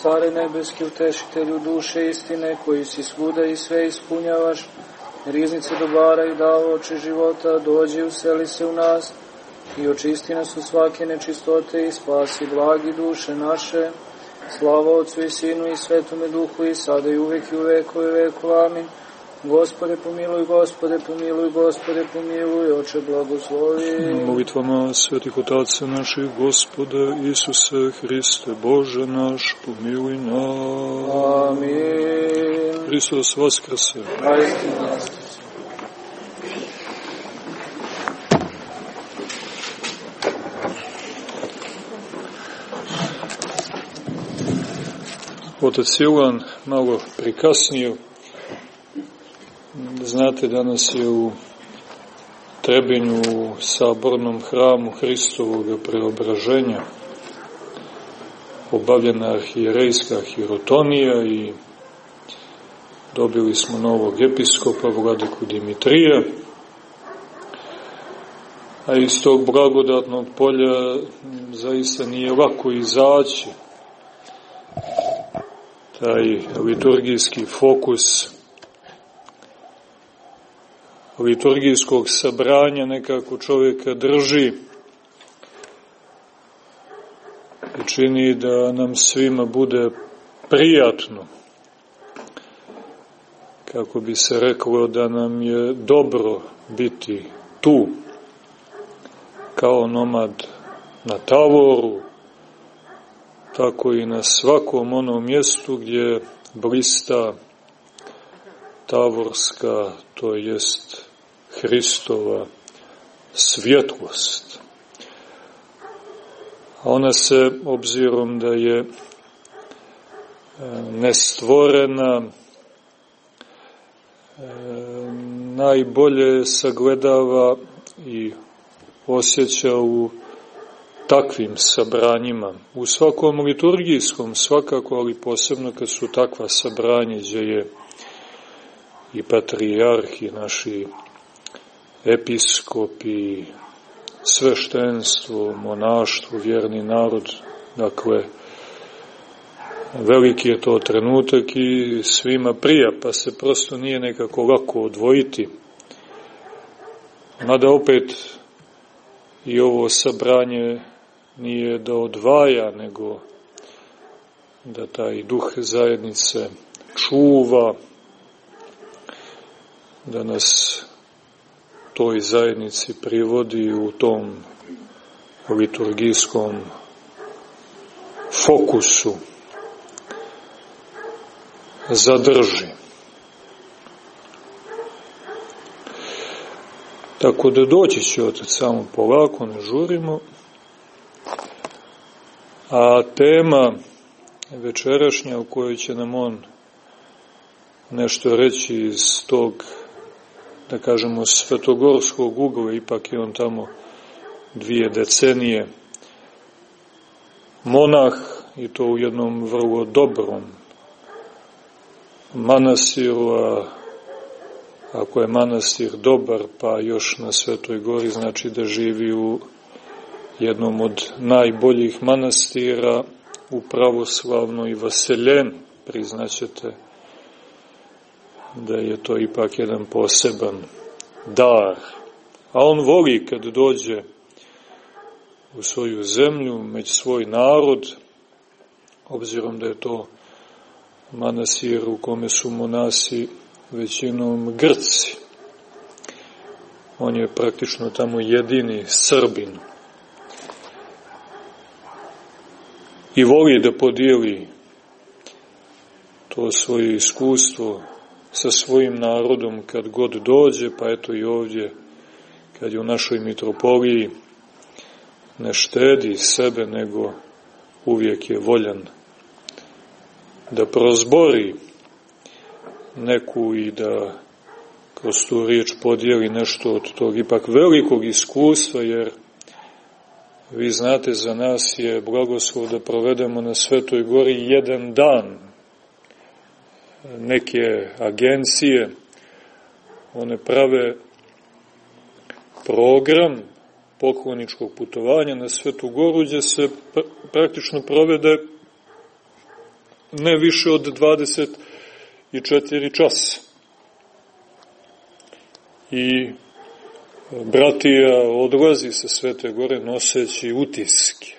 Care nebeski, utešitelju duše istine, koji si svuda i sve ispunjavaš, riznice dobara i davaoče života, dođi useli se u nas i očisti nas od svake nečistote i spasi blagi duše naše. Slava Otcu i Sinu i Svetome Duhu i sada i uvek i u vekove vekova. Amin. Gospode pomiluj, Gospode pomiluj, Gospode pomiluj, Oče blagoslovi. Molitvama svetih otaca naših, Gospoda Isuse Hriste, Bože naš, pomiluj nas. Amin. Hristos vaskrse. Otac Silan malo prikasnio. Znate, danas je u Trebinju, u sabornom hramu Hristovog preobraženja obavljena arhijerejska hirotonija i dobili smo novog episkopa, vladiku Dimitrija, a iz tog blagodatnog polja zaista nije lako izaći. Taj liturgijski fokus liturgijskog sabranja nekako čovjeka drži i čini da nam svima bude prijatno, kako bi se reklo da nam je dobro biti tu, kao nomad na tavoru, tako i na svakom onom mjestu gdje blista tavorska, to jest Hristova svjetlost. A ona se, obzirom da je nestvorena, najbolje sagledava i osjeća u takvim sabranjima. U svakom liturgijskom svakako, ali posebno kad su takva sabranja gdje je i patrijarhi, naši episkopi, sveštenstvo, monaštvo, vjerni narod. Dakle, veliki je to trenutak i svima prija, pa se prosto nije nekako lako odvojiti. Mada opet i ovo sabranje nije da odvaja, nego da taj duh zajednice čuva, da nas toj zajednici privodi u tom liturgijskom fokusu, zadrži. Tako da doći će otac samo polako, ne žurimo. A tema večerašnja u kojoj će nam on nešto reći iz tog, da kažemo, svetogorskog ugla, ipak je on tamo 2 decenije monah i to u jednom vrlo dobrom manastiru, a ako je manastir dobar, pa još na Svetoj Gori, znači da živi u jednom od najboljih manastira u pravoslavnoj Vaseljeni. Priznaćete da je to ipak jedan poseban dar. A on voli kad dođe u svoju zemlju, među svoj narod, obzirom da je to manastir u kome su monasi većinom Grci. On je praktično tamo jedini Srbin. I voli da podijeli to svoje iskustvo sa svojim narodom kad god dođe, pa eto i ovdje, kad je u našoj mitropoliji, ne štedi sebe, nego uvijek je voljan da prozbori neku i da kroz tu riječ podijeli nešto od tog ipak velikog iskustva, jer vi znate, za nas je blagoslov da provedemo na Svetoj Gori 1 dan. Neke agencije, one prave program pokloničkog putovanja na Svetu Goru, gdje se praktično provede ne više od 24 časa. I bratija odlazi sa Svete Gore noseći utiske.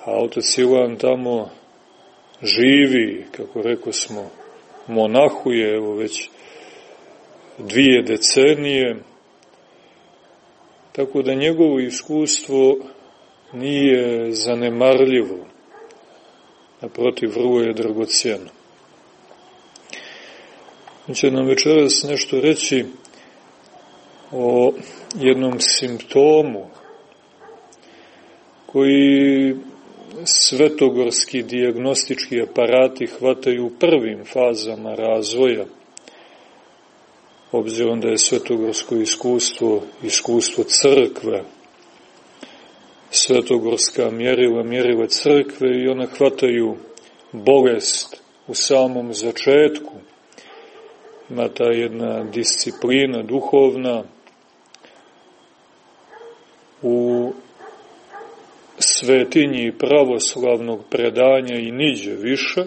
A otac Ilan tamo živi, kako rekao smo, monahuje, evo već 2 decenije, tako da njegovo iskustvo nije zanemarljivo, naprotiv, vrlo je dragocjeno. On će nam večeras nešto reći o jednom simptomu koji svetogorski dijagnostički aparati hvataju u prvim fazama razvoja, obzirom da je svetogorsko iskustvo crkve, svetogorska mjerila crkve i ona hvataju bolest u samom začetku. Ima ta jedna disciplina duhovna u svetinji pravoslavnog predanja i niđe više,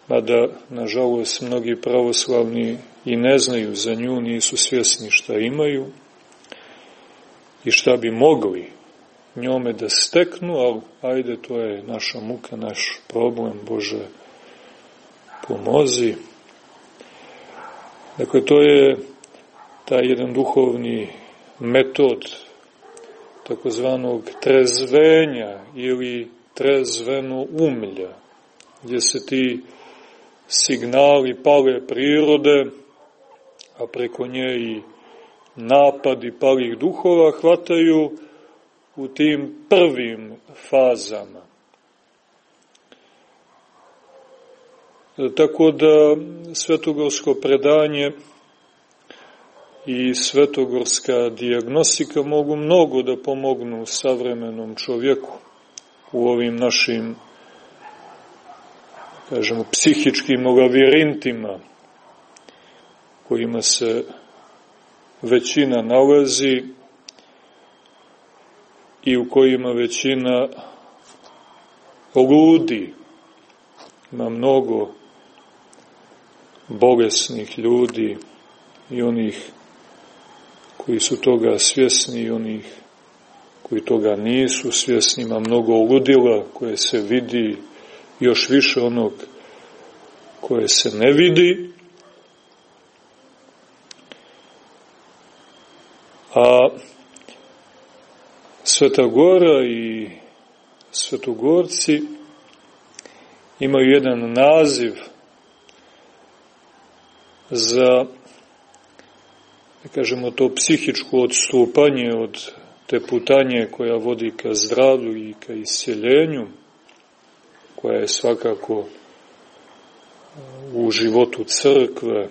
mada, nažalost, mnogi pravoslavni i ne znaju za nju, nisu svjesni šta imaju i šta bi mogli njome da steknu, ali ajde, to je naša muka, naš problem, Bože, pomozi. Dakle, to je taj jedan duhovni metod takozvanog trezvenja ili trezveno umlja, gdje se ti signali pale prirode, a preko nje i napadi palih duhova hvataju u tim prvim fazama. Tako da svetogorsko predanje i svetogorska dijagnostika mogu mnogo da pomognu savremenom čovjeku u ovim našim, kažemo, psihičkim lavirintima kojima se većina nalazi i u kojima većina ludi. Ima mnogo bolesnih ljudi i onih koji su toga svjesni i onih koji toga nisu svjesni. Ima mnogo ludila koje se vidi, još više onog koje se ne vidi. A Sveta Gora i svetogorci imaju jedan naziv za, da kažemo, to psihičko odstupanje od te putanje koja vodi ka zdravlju i ka isceljenju, koja je svakako u životu crkve,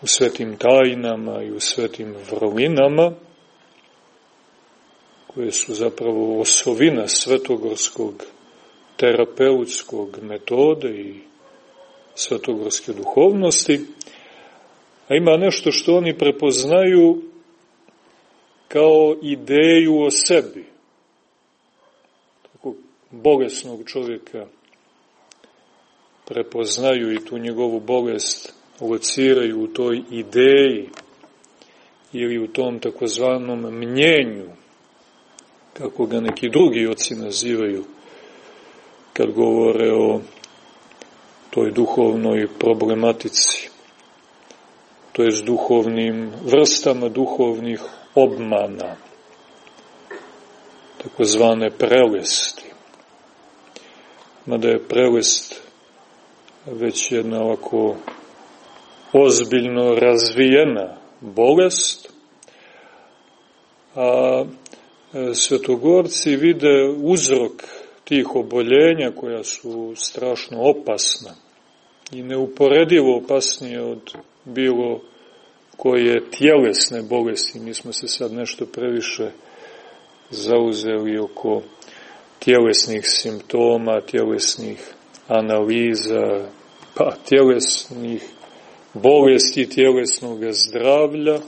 u svetim tajnama i u svetim vrlinama, koje su zapravo osovina svetogorskog terapeutskog metode i svetogorske duhovnosti, a ima nešto što oni prepoznaju kao ideju o sebi. Tako bolesnog čovjeka prepoznaju i tu njegovu bolest lociraju u toj ideji ili u tom takozvanom mnjenju, kako ga neki drugi oci nazivaju kad govore o toj duhovnoj problematici, to jest duhovnim vrstama duhovnih obmana, takozvane prelesti. Mada je prelest već jedna ovako ozbiljno razvijena bolest, a svetogorci vide uzrok tih oboljenja koja su strašno opasna i neuporedivo opasnije od bilo koje tjelesne bolesti. Mi smo se sad nešto previše zauzeli oko tjelesnih simptoma, tjelesnih analiza, pa tjelesnih bolesti, tjelesnog zdravlja.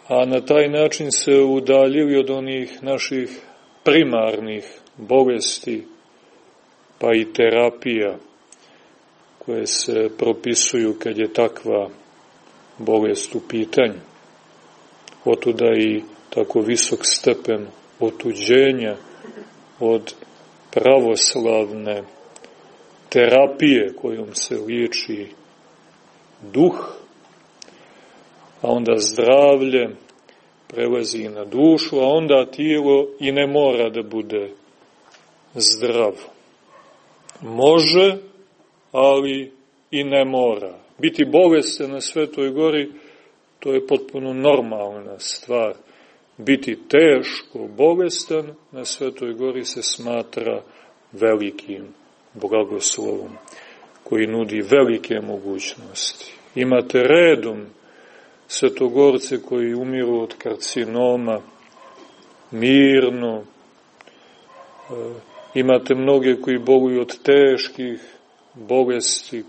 a na taj način se udaljili od onih naših primarnih bolesti, pa i terapija koje se propisuju kad je takva bolest u pitanju. Otuda i tako visok stepen otuđenja od pravoslavne terapije kojom se liječi duh, a onda zdravlje prelazi na dušu, a onda tijelo i ne mora da bude zdravo. Može, ali i ne mora. Biti bolestan na Svetoj gori, to je potpuno normalna stvar. Biti teško bolestan na Svetoj gori se smatra velikim blagoslovom, koji nudi velike mogućnosti. Imate redom svetogorce koji umiru od karcinoma, mirno. Imate mnoge koji boluju od teških bolesti,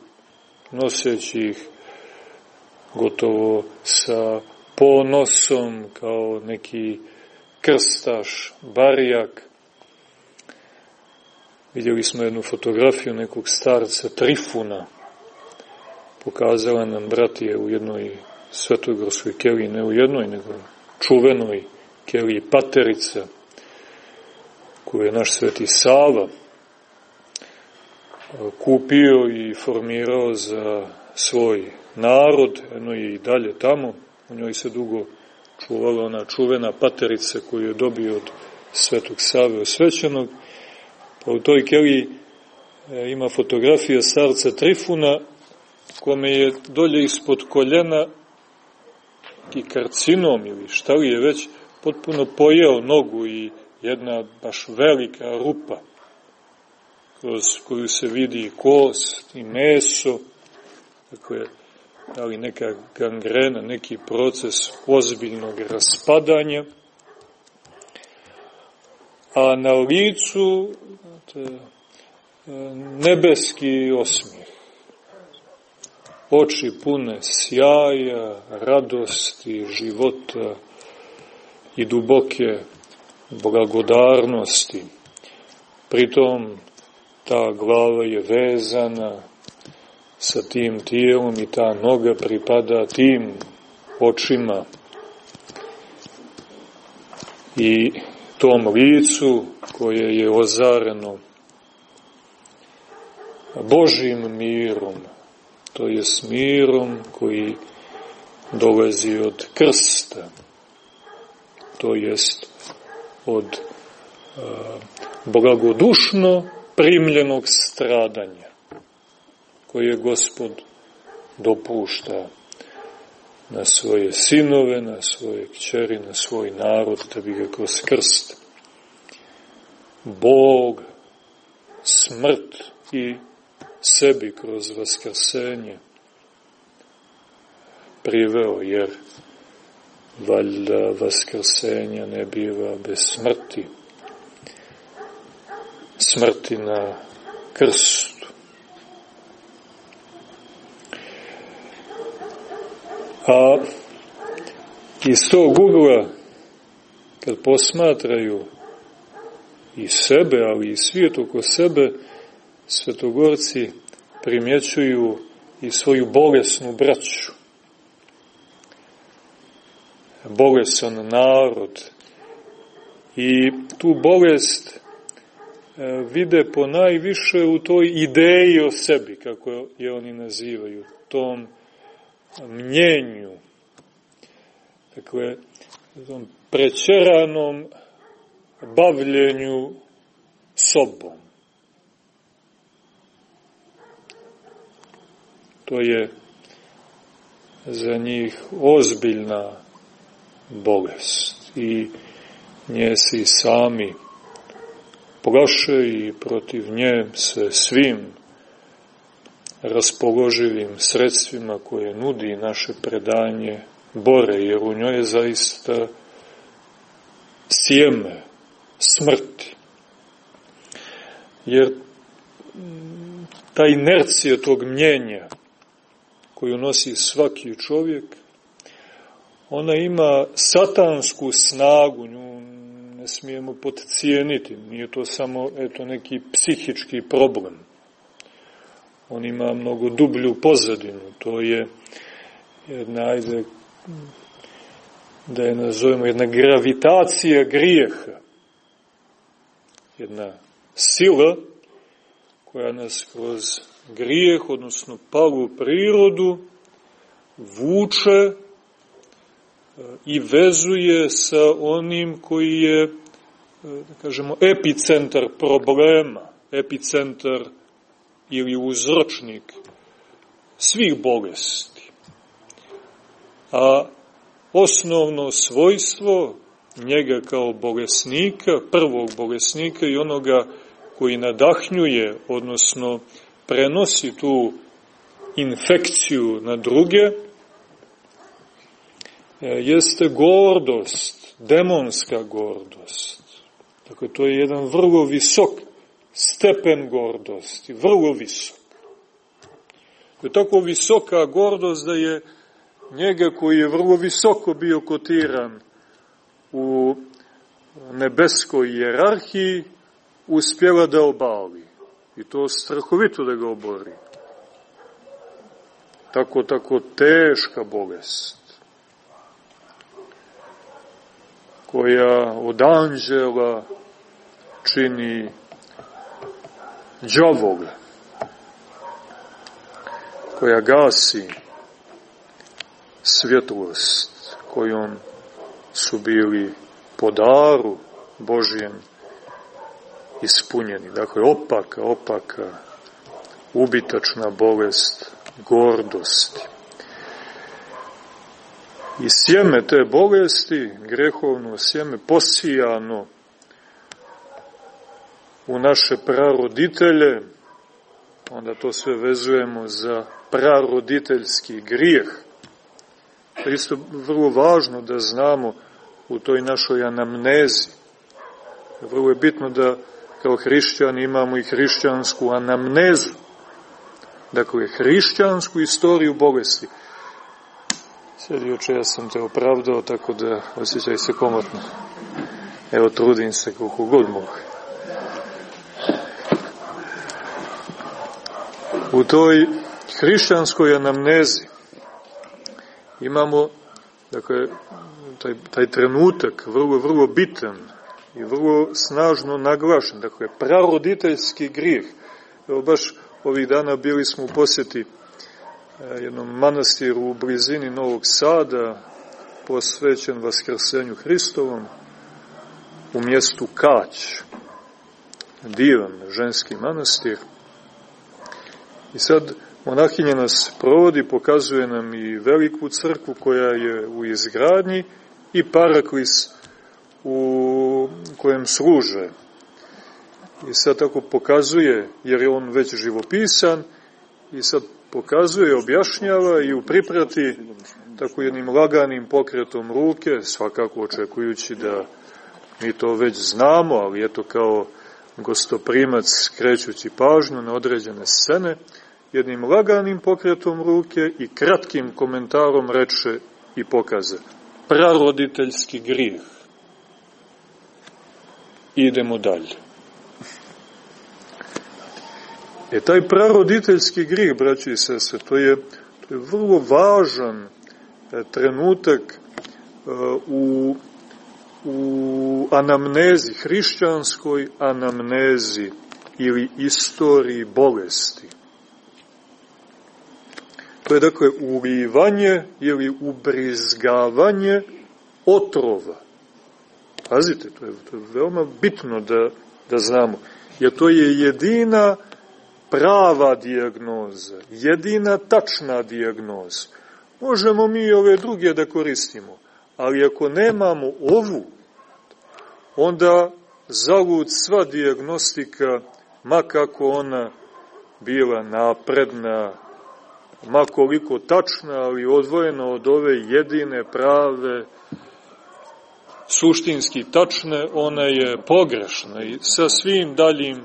noseći ih gotovo sa ponosom, kao neki krstaš, barijak. Vidjeli smo jednu fotografiju nekog starca Trifuna. Pokazala nam bratije u jednoj svetogorskoj keliji, ne u jednoj, nego čuvenoj keliji Paterica, koju je naš sveti Sava kupio i formirao za svoj narod. Eno je i dalje tamo. U njoj se dugo čuvala ona čuvena Paterica koju je dobio od svetog Save osvećenog. Pa u toj keliji ima fotografija starca Trifuna, kome je dolje ispod koljena i karcinom ili šta li je već potpuno pojeo nogu i jedna baš velika rupa kroz koju se vidi kost i meso, dakle, ali neka gangrena, neki proces ozbiljnog raspadanja, a na licu nebeski osmijeh, oči pune sjaja, radosti, života i duboke blagodarnosti. Pritom ta glava je vezana sa tim tijelom i ta noga pripada tim očima i tom licu koje je ozareno Božjim mirom, to je s mirom koji dolazi od krsta, to jest od blagodušno primljenog stradanja koje Gospod dopušta na svoje sinove, na svoje kćeri, na svoj narod, da bi ga kroz krst Bog, smrt i sebi kroz vaskrsenje priveo, jer valjda vaskrsenja ne biva bez smrti, smrti na krstu. A iz tog ugla, kad posmatraju i sebe, ali i svijet oko sebe, svetogorci primjećuju i svoju bolesnu braću. Bolesan narod. I tu bolest vide po najviše u toj ideji o sebi, kako je oni nazivaju, tom mnjenju, dakle, tom prećeranom bavljenju sobom. To je za njih ozbiljna bolest i nje se i sami plaše i protiv nje se svim raspoloživim sredstvima koje nudi naše predanje bore, jer u njoj je zaista sjeme smrti. Jer ta inercija tog mnjenja koju nosi svaki čovjek, ona ima satansku snagu, nju ne smijemo podcijeniti, nije to samo neki psihički problem. On ima mnogo dublju pozadinu, to je jedna, ajde, da je nazovemo, jedna gravitacija grijeha, jedna sila koja nas kroz grijeh, odnosno palu prirodu, vuče i vezuje sa onim koji je, da kažemo, epicentar problema, epicentar ili uzročnik svih bolesti. A osnovno svojstvo njega kao bolesnika, prvog bolesnika i onoga koji nadahnjuje, odnosno prenosi tu infekciju na druge, jeste gordost, demonska gordost. Dakle, to je jedan vrlo visok stepen gordosti, vrlo visok. To je tako visoka gordost da je njega koji je vrlo visoko bio kotiran u nebeskoj hijerarhiji uspjela da obali. I to strahovito da ga obori. Tako teška bolest, koja od anđela čini đavola, koja gasi svjetlost kojom su bili po daru Božijem ispunjeni. Dakle, opaka, ubitačna bolest gordosti. I sjeme te bolesti, grehovno sjeme, posijano u naše praroditelje, onda to sve vezujemo za praroditeljski grijeh. To je isto vrlo važno da znamo u toj našoj anamnezi. Vrlo je bitno da kao hrišćani imamo i hrišćansku anamnezu. Dakle, hrišćansku istoriju bolesti. Sjedi oče, ja sam te opravdao, tako da osjećaj se komotno. Evo, trudim se koliko god mogu. U toj hrišćanskoj anamnezi imamo, dakle, taj trenutak vrlo bitan i vrlo snažno naglašen, dakle, praroditeljski grijeh. Evo, baš ovih dana bili smo u posjeti jednom manastiru u blizini Novog Sada, posvećen Vaskrsenju Hristovom, u mjestu Kać. Divan ženski manastir. I sad monahinja nas provodi, pokazuje nam i veliku crkvu koja je u izgradnji i paraklis u kojem služe. I sad tako pokazuje, jer je on već živopisan, i sad pokazuje, objašnjava i u priprati tako jednim laganim pokretom ruke, svakako očekujući da mi to već znamo, ali eto kao gostoprimac skrećući pažnju na određene scene, jednim laganim pokretom ruke i kratkim komentarom reče i pokaze: praroditeljski grijeh. Idemo dalje. Taj praroditeljski grijeh, braći i sestre, to je vrlo važan trenutak u anamnezi, hrišćanskoj anamnezi ili istoriji bolesti. To je dakle ulivanje ili ubrizgavanje otrova. Pazite, to je veoma bitno da znamo, jer to je jedina prava dijagnoza, jedina tačna dijagnoza. Možemo mi ove druge da koristimo, ali ako nemamo ovu, onda zalud sva dijagnostika, ma kako ona bila napredna, ma koliko tačna, ali odvojena od ove jedine prave, suštinski tačne, ona je pogrešna i sa svim daljim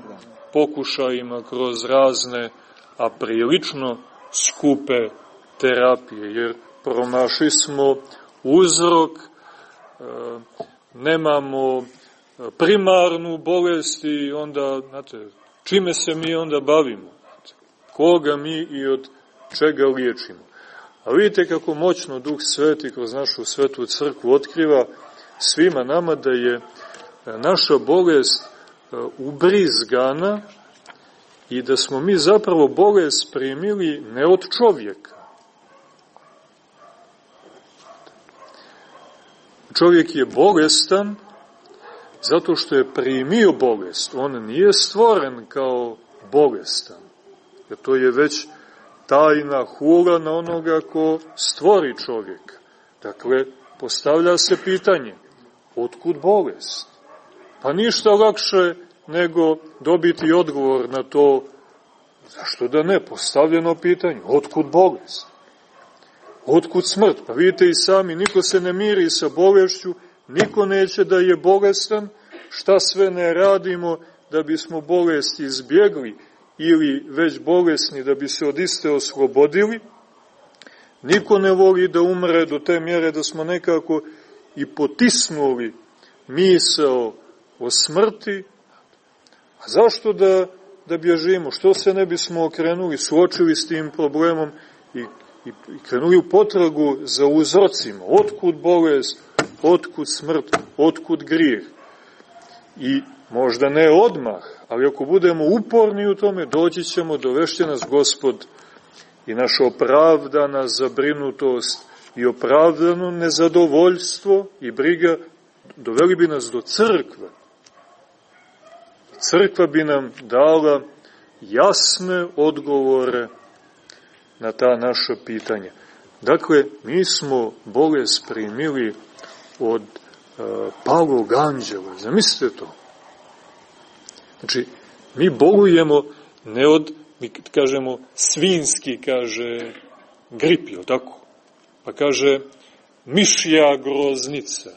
pokušajima kroz razne, a prilično skupe terapije, jer promašili smo uzrok, nemamo primarnu bolest i onda, znate, čime se mi onda bavimo? Koga mi i od čega liječimo? A vidite kako moćno Duh Sveti kroz našu svetu crkvu otkriva svima nama da je naša bolest ubrizgana i da smo mi zapravo bolest primili ne od čovjeka. Čovjek je bolestan zato što je primio bolest. On nije stvoren kao bolestan. Jer to je već tajna hula na onoga ko stvori čovjeka. Dakle, postavlja se pitanje, otkud bolest? Pa ništa lakše nego dobiti odgovor na to, zašto da ne, postavljeno pitanje, otkud bolest? Otkud smrt? Pa vidite i sami, niko se ne miri sa bolešću, niko neće da je bolestan, šta sve ne radimo da bismo bolest izbjegli ili već bolesni da bi se od iste oslobodili. Niko ne voli da umre do te mjere da smo nekako i potisnuli misao o smrti. A zašto da bježimo? Što se ne bismo okrenuli, suočili s tim problemom i krenuli u potragu za uzrocima? Otkud bolest, otkud smrt, otkud grijeh? I možda ne odmah, ali ako budemo uporni u tome, doći ćemo, dovešće nas Gospod i naša opravdana zabrinutost i opravdano nezadovoljstvo i briga doveli bi nas do crkve. Crkva bi nam dala jasne odgovore na ta naša pitanja. Dakle, mi smo bolest primili od palog anđela. Zamislite to. Znači, mi bolujemo ne od, mi kažemo, svinski, kaže, grip, je tako? Pa kaže, mišja groznica,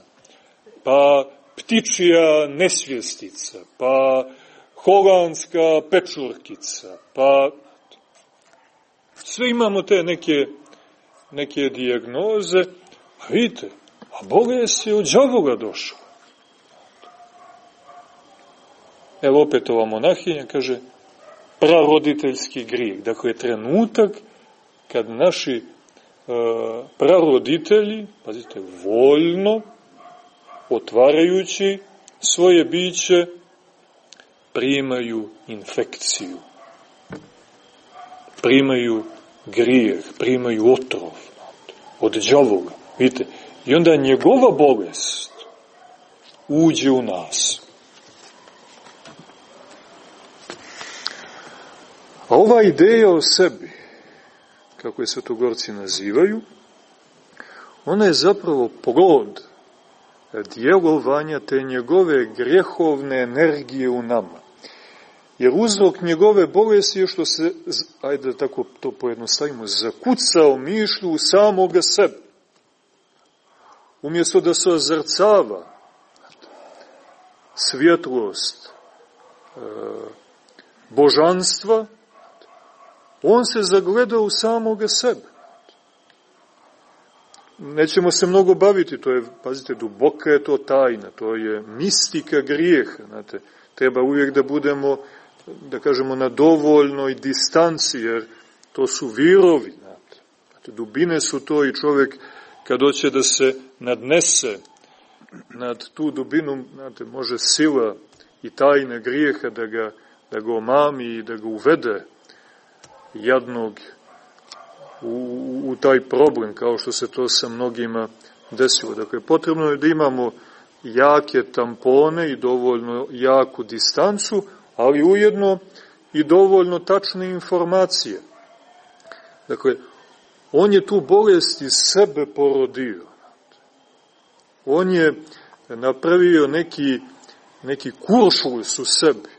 pa ptičija nesvjestica, pa holandska pečurkica, pa sve imamo te neke dijagnoze, a vidite, a bolest je od đavola došla. Evo opet ova monahinja kaže, praroditeljski grijeh. Dakle, trenutak kad naši praroditelji, pazite, voljno, otvarajući svoje biće, primaju infekciju, primaju grijeh, primaju otrov od đavola. Vidite, i onda njegova bolest uđe u nas. A ova ideja o sebi, kako je svetogorci nazivaju, ona je zapravo plod djelovanja te njegove grjehovne energije u nama. Jer uzrok njegove bolesti je što se, ajde da tako to pojednostavimo, zakucao mišlju u samoga sebe. Umjesto da se ozrcava svjetlost božanstva, on se zagleda u samoga sebe. Nećemo se mnogo baviti, to je, pazite, duboka je to tajna, to je mistika grijeha, znate. Treba uvijek da budemo, da kažemo, na dovoljnoj distanci, jer to su virovi, znate. Dubine su to i čovjek kad hoće da se nadnese nad tu dubinu, znate, može sila i tajna grijeha da ga omami i da ga uvede jadnog u taj problem, kao što se to sa mnogima desilo. Dakle, potrebno je da imamo jake tampone i dovoljno jaku distancu, ali ujedno i dovoljno tačne informacije. Dakle, on je tu bolest iz sebe porodio. On je napravio neki kuršlus u sebi.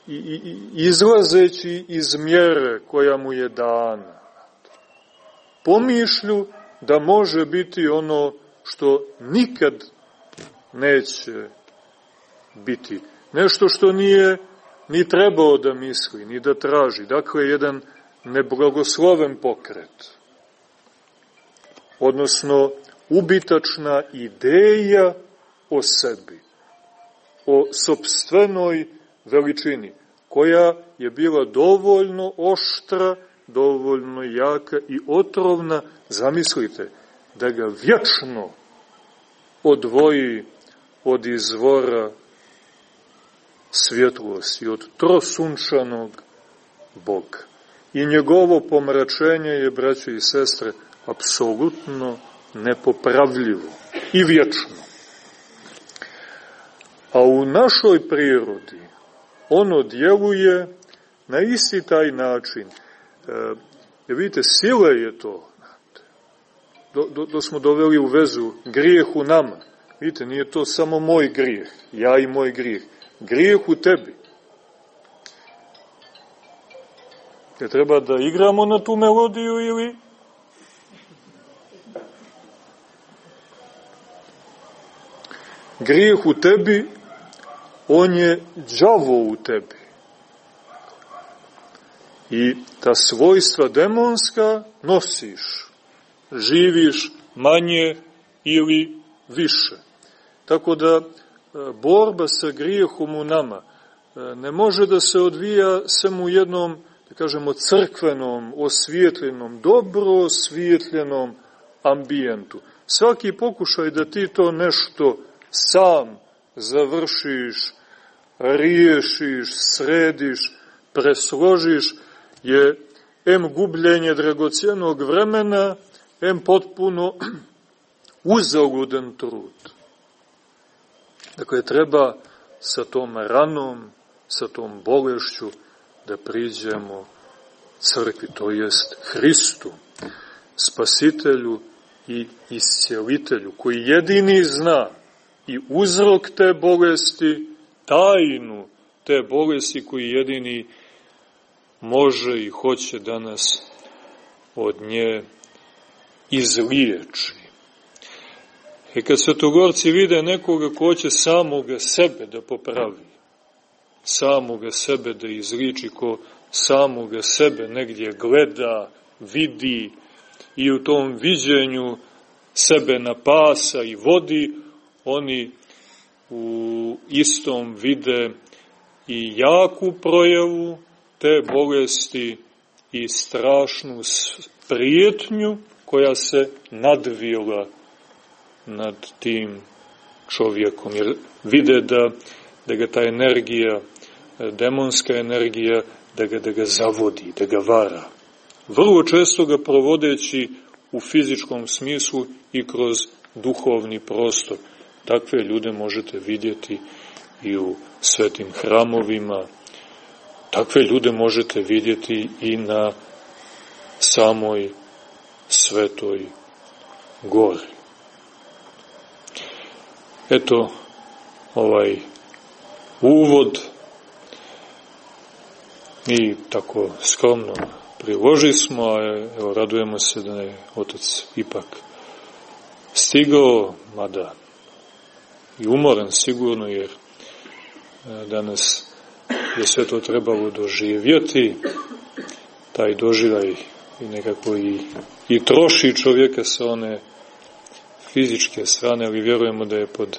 I izlazeći iz mjere koja mu je dana. Pomišlju da može biti ono što nikad neće biti. Nešto što nije ni trebao da misli, ni da traži. Dakle, jedan neblagosloven pokret. odnosno ubitačna ideja o sebi, o sopstvenoj veličini, koja je bila dovoljno oštra, dovoljno jaka i otrovna, zamislite, da ga vječno odvoji od izvora svjetlosti, od trosunčanog Boga. I njegovo pomračenje je, braćo i sestre, apsolutno nepopravljivo i vječno. A u našoj prirodi ono djeluje na isti taj način. Vidite, sila je to. Do smo doveli u vezu grijeh u nama. Vidite, nije to samo moj grijeh, ja i moj grijeh. Grijeh u tebi. Je treba da igramo na tu melodiju ili... Grijeh u tebi, on je đavo u tebi. I ta svojstva demonska nosiš, živiš manje ili više. Tako da borba sa grijehom u nama ne može da se odvija samo u jednom, da kažemo, crkvenom, osvijetljenom, dobro osvijetljenom ambijentu. Svaki pokušaj da ti to nešto sam završiš, riješiš, središ, presložiš, je em gubljenje dragocjenog vremena, em potpuno uzaludan trud. Dakle, treba sa tom ranom, sa tom bolešću da priđemo crkvi, to jest Hristu, Spasitelju i Iscijelitelju, koji jedini zna i uzrok te bolesti, tajnu te bolesti, koji jedini može i hoće da nas od nje izliječi. I kad svetogorci vide nekoga ko će samoga sebe da popravi, samoga sebe da izliči, ko samoga sebe negdje gleda, vidi i u tom viđenju sebe napasa i vodi, oni u istom vide i jaku projavu te bolesti i strašnu prijetnju koja se nadvila nad tim čovjekom. Jer vide da ga ta energija, demonska energija, da ga zavodi, da ga vara. Vrlo često ga provodeći u fizičkom smislu i kroz duhovni prostor. Takve ljude možete vidjeti i u svetim hramovima, takve ljude možete vidjeti i na samoj Svetoj gori. Eto, ovaj uvod mi tako skromno priloži smo, a evo, radujemo se da je otac ipak stigao, mada i umoran sigurno, jer danas je sve to trebalo doživjeti, taj doživljaj i nekako i troši čovjeka sa one fizičke strane, ali vjerujemo da je pod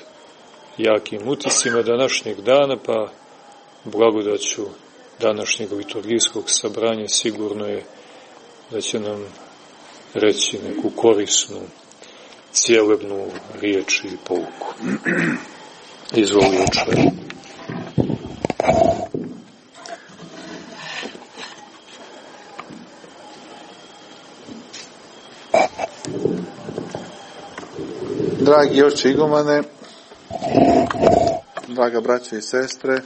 jakim utiscima današnjeg dana, pa blagodaću današnjeg liturgijskog sabranja sigurno je da će nam reći neku korisnu, cijelebnu riječ i pouku. Izvoli, oče. Dragi oče igumane, draga braća i sestre,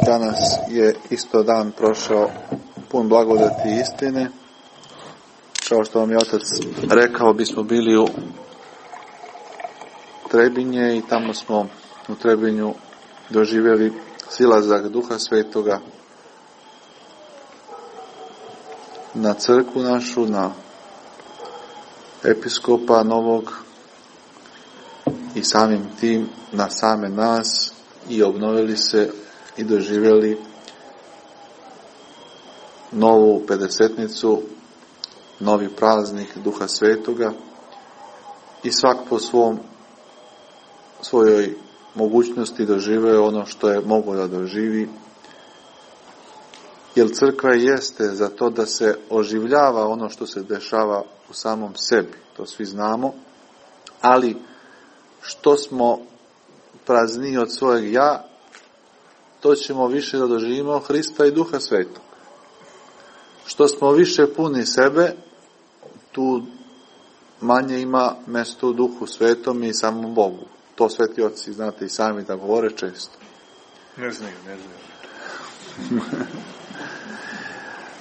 danas je isto dan prošao pun blagodati i istine. Kao što vam je otac rekao, bismo bili u Trebinje i tamo smo u Trebinju doživjeli silazak Duha Svetoga na crkvu našu, na episkopa novog i samim tim na same nas, i obnovili se i doživjeli novu pedesetnicu, novi praznik Duha Svetoga i svak po svojoj mogućnosti doživeo ono što je moglo da doživi. Jer crkva jeste za to da se oživljava ono što se dešava u samom sebi, to svi znamo, ali što smo prazniji od svojeg ja, to ćemo više da doživimo Hrista i Duha Svetog. Što smo više puni sebe, tu manje ima mesto u Duhu Svetom i samom Bogu. To sveti oci, znate i sami da govore često. Ne znaju.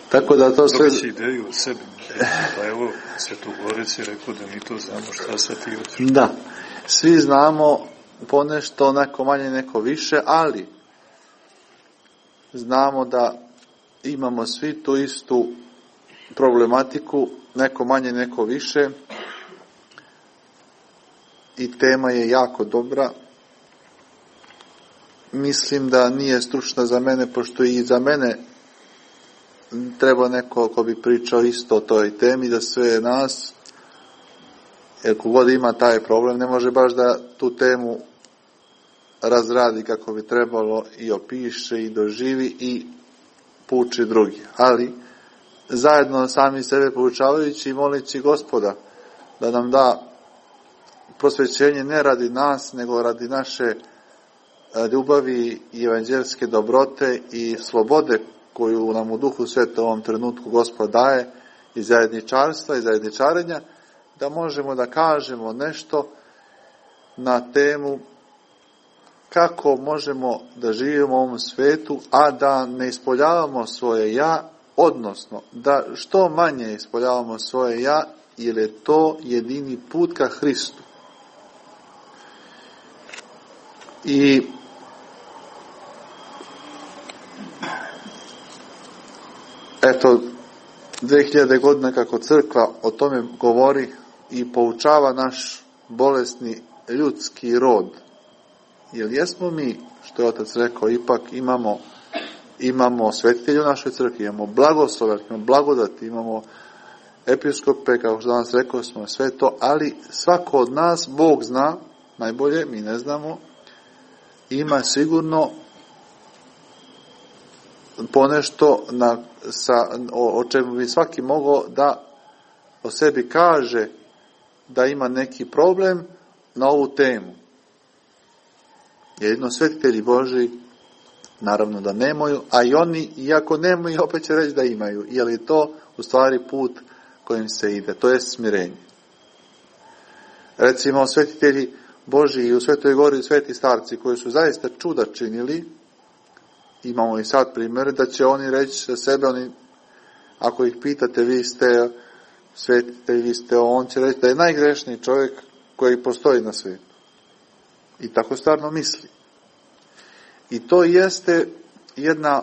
Tako da to sve... Dobit će ideju o sebi. Pa evo, Svetogorec je rekao da mi to znamo, šta sad ti hoćeš. Da, svi znamo ponešto, neko manje, neko više, ali znamo da imamo svi tu istu problematiku, neko manje, neko više, i tema je jako dobra. Mislim da nije stručna za mene, pošto i za mene treba neko ko bi pričao isto o toj temi, da sve nas, jer kogod ima taj problem, ne može baš da tu temu razradi kako bi trebalo i opiše i doživi i pouči drugi. Ali zajedno sami sebe poučavajući i molići Gospoda da nam da prosvećenje ne radi nas, nego radi naše ljubavi i evanđelske dobrote i slobode koju nam u Duhu Svetom u ovom trenutku Gospod daje, i zajedničarstva i zajedničarenja, da možemo da kažemo nešto na temu kako možemo da živimo u ovom svetu, a da ne ispoljavamo svoje ja, odnosno da što manje ispoljavamo svoje ja, jer je to jedini put ka Hristu. I eto, 2000 godina kako crkva o tome govori i poučava naš bolesni ljudski rod. Jer jesmo mi, što je otac rekao, ipak imamo svetitelje u našoj crkvi, imamo blagoslove, imamo blagodati, imamo episkope, kao što danas rekao smo, sve to, ali svako od nas, Bog zna najbolje, mi ne znamo, ima sigurno ponešto o čemu bi svaki mogao da o sebi kaže da ima neki problem na ovu temu. Jedino svetitelji Božji naravno da nemaju, a i oni, iako nemaju, opet će reći da imaju, jer je to u stvari put kojim se ide, to je smirenje. Recimo, svetitelji Božji i u Svetoj Gori sveti starci koji su zaista čuda činili, imamo i sad primjer, da će oni reći za sebe, ako ih pitate, vi ste svetitelj, vi ste on, će reći da je najgrešniji čovjek koji postoji na svijetu. I tako stvarno misli. I to jeste jedna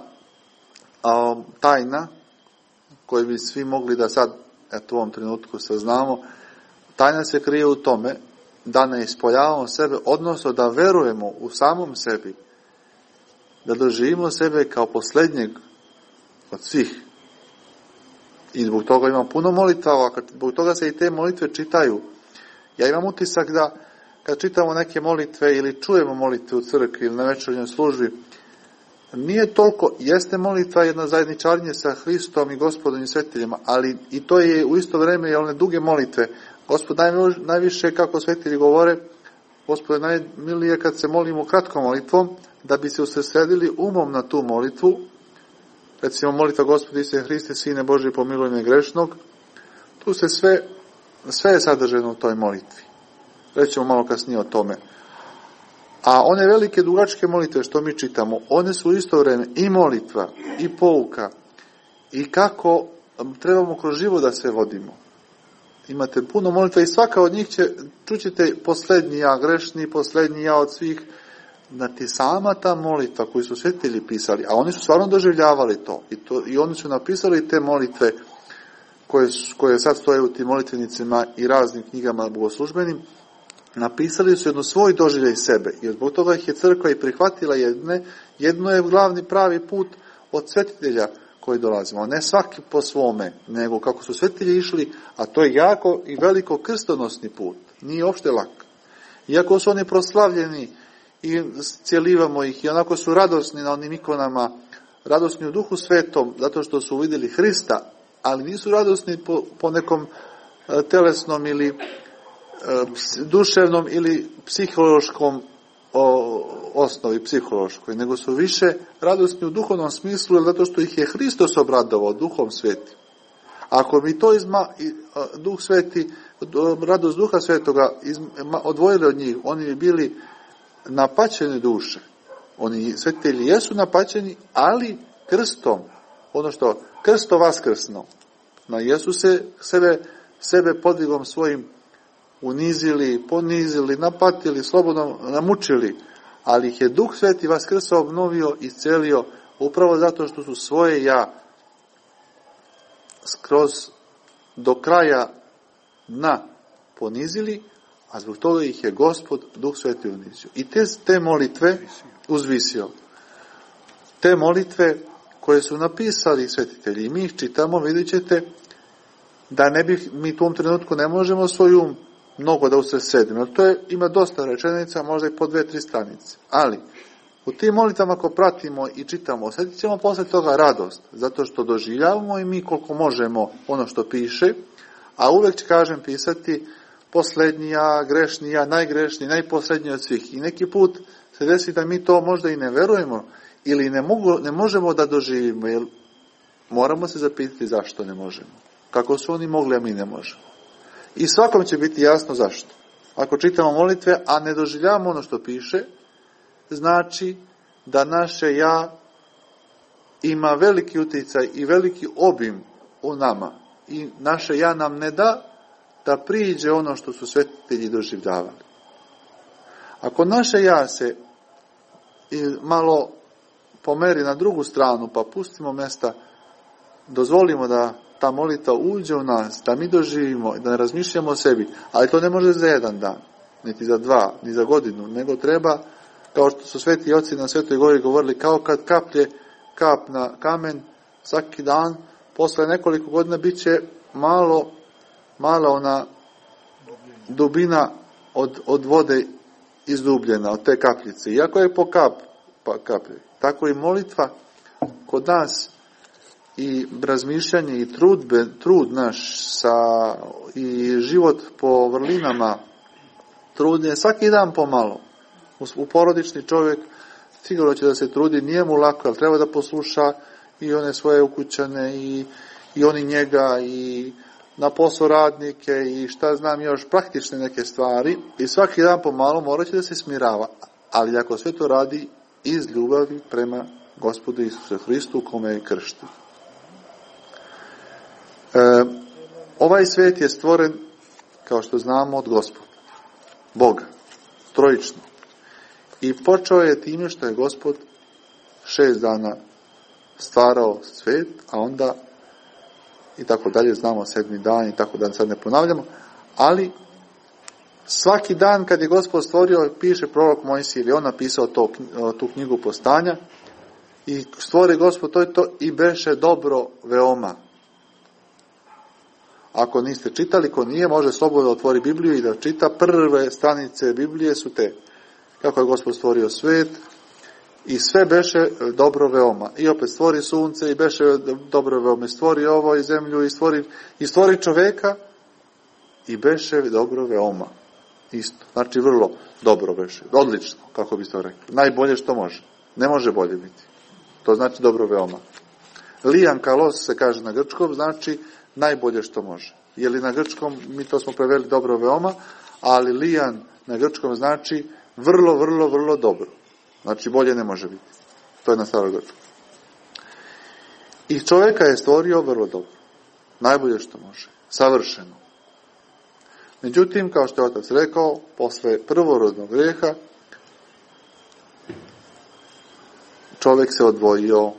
tajna koju bi svi mogli da sad, u ovom trenutku saznamo. Tajna se krije u tome da ne ispoljavamo sebe, odnosno da verujemo u samom sebi, da doživimo sebe kao posljednjeg od svih. I zbog toga imam puno molitava, zbog toga se i te molitve čitaju. Ja imam utisak da kad čitamo neke molitve ili čujemo molitve u crkvi ili na večernjoj službi, nije toliko, jeste molitva jedno zajedničarenje sa Hristom i Gospodom i svetiteljima, ali i to je u isto vrijeme i one duge molitve. Gospod najviše, kako svetitelji govore, Gospod najmilije kad se molimo kratkom molitvom, da bi se usredsredili umom na tu molitvu. Recimo molitva Gospodi Isuse Hriste, Sine Božji, pomiluj me grešnog. Tu se sve je sadržano u toj molitvi. Rećemo malo kasnije o tome. A one velike dugačke molitve što mi čitamo, one su u isto vrijeme i molitva, i pouka, i kako trebamo kroz život da se vodimo. Imate puno molitva i svaka od njih čućete posljednji ja grešni, posljednji ja od svih. Znači sama ta molitva koju su svetitelji pisali, a oni su stvarno doživljavali to, i oni su napisali te molitve koje sad stoje u tim molitvenicima i raznim knjigama bogoslužbenim, napisali su jedno svoj doživljaj sebe, i zbog toga ih je crkva i prihvatila jedno je glavni pravi put od svetitelja koji dolazimo. Ne svaki po svome, nego kako su svetitelji išli, a to je jako i veliko krstonosni put. Nije uopšte lak. Iako su oni proslavljeni i cijelivamo ih i onako su radosni na onim ikonama, radosni u Duhu Svetom, zato što su uvidjeli Hrista, ali nisu radosni po nekom telesnom ili duševnom ili psihološkom osnovi, psihološkoj, nego su više radosni u duhovnom smislu, zato što ih je Hristos obradovao Duhom Svetim. Ako mi to Duh Sveti, radost Duha Svetoga odvojili od njih, oni bi bili napaćene duše. Oni svetitelji jesu napaćeni, ali krstom, ono što krsto vaskrsno. Na Jesu se sebe podvigom svojim unizili, ponizili, napatili, slobodno namučili, ali ih je Duh Sveti vaskrsao, obnovio i iscelio, upravo zato što su svoje ja skroz do kraja dna ponizili, a zbog toga ih je Gospod Duh Sveti unizio. I te molitve uzvisio. Te molitve koje su napisali svetitelji, i mi ih čitamo, vidjet ćete da mi u tom trenutku ne možemo svoj um mnogo da usredsredimo. Ima dosta rečenica, možda i po 2-3 stranice. Ali, u tim molitvama ako pratimo i čitamo, osjetit ćemo posle toga radost, zato što doživljavamo i mi koliko možemo ono što piše, a uvek će, kažem, pisati poslednija, grešnija, najgrešniji, najposledniji od svih. I neki put se desi da mi to možda i ne verujemo ili ne možemo da doživimo, jer moramo se zapitati zašto ne možemo. Kako su oni mogli, a mi ne možemo. I svakom će biti jasno zašto. Ako čitamo molitve, a ne doživljavamo ono što piše, znači da naše ja ima veliki utjecaj i veliki obim u nama. I naše ja nam ne da priđe ono što su svetitelji doživljavali. Ako naše ja se malo pomeri na drugu stranu, pa pustimo mjesta, dozvolimo da ta molitva uđe u nas, da mi doživimo, da ne razmišljamo o sebi, ali to ne može za jedan dan, niti za 2, ni za godinu, nego treba, kao što su sveti oci na Svetoj Gori govorili, kao kad kaplje kap na kamen svaki dan, posle nekoliko godina bit će malo ona dubina od vode izdubljena, od te kapljice. Iako je po kaplje. Tako i molitva kod nas i razmišljanje i trud naš i život po vrlinama, trud je svaki dan pomalo. U porodični čovjek sigurno će da se trudi, nije mu lako, ali treba da posluša i one svoje ukućane i oni njega i na posao radnike i šta znam još, praktične neke stvari, i svaki dan pomalo morat će da se smirava, ali ako sve to radi iz ljubavi prema Gospodu Isusu Hristu, kome je kršten. Ovaj svet je stvoren, kao što znamo, od Gospoda, Boga, trojično. I počeo je time što je Gospod 6 dana stvarao svet, a onda i tako dalje, znamo 7. dan i tako dalje, sad ne ponavljamo, ali svaki dan kad je Gospod stvorio, piše prorok Mojsije, ili on napisao tu knjigu Postanja, i stvori Gospod to i beše dobro veoma. Ako niste čitali, ko nije, može slobodno otvori Bibliju i da čita. Prve stranice Biblije su te. Kako je Gospod stvorio svet i sve beše dobro veoma. I opet stvori sunce i beše dobro veoma. I stvori ovo i zemlju i stvori čoveka i beše dobro veoma. Isto. Znači vrlo dobro beše. Odlično, kako biste rekli. Najbolje što može. Ne može bolje biti. To znači dobro veoma. Lian kalos se kaže na grčkom, znači najbolje što može. Je li na grčkom, mi to smo preveli dobro veoma, ali lian na grčkom znači vrlo, vrlo, vrlo dobro. Znači bolje ne može biti. To je na starogrčkom. I čovjeka je stvorio vrlo dobro. Najbolje što može. Savršeno. Međutim, kao što je otac rekao, posle prvorodnog grijeha čovjek se odvojio.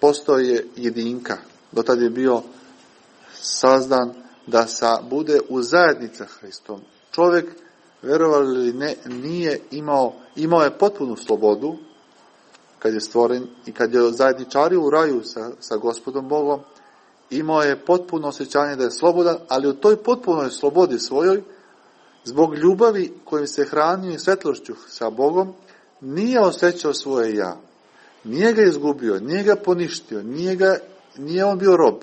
Postoje jedinka. Do tada je bio sazdan da bude u zajednici sa Hristom. Čovjek, verovali ili ne, nije imao je potpunu slobodu, kad je stvoren i kad je zajedničario u raju sa Gospodom Bogom, imao je potpuno osjećanje da je slobodan, ali u toj potpunoj slobodi svojoj, zbog ljubavi kojim se hranio i svetlošću sa Bogom, nije osjećao svoje ja. Nije ga izgubio, nije ga poništio, nije on bio rob.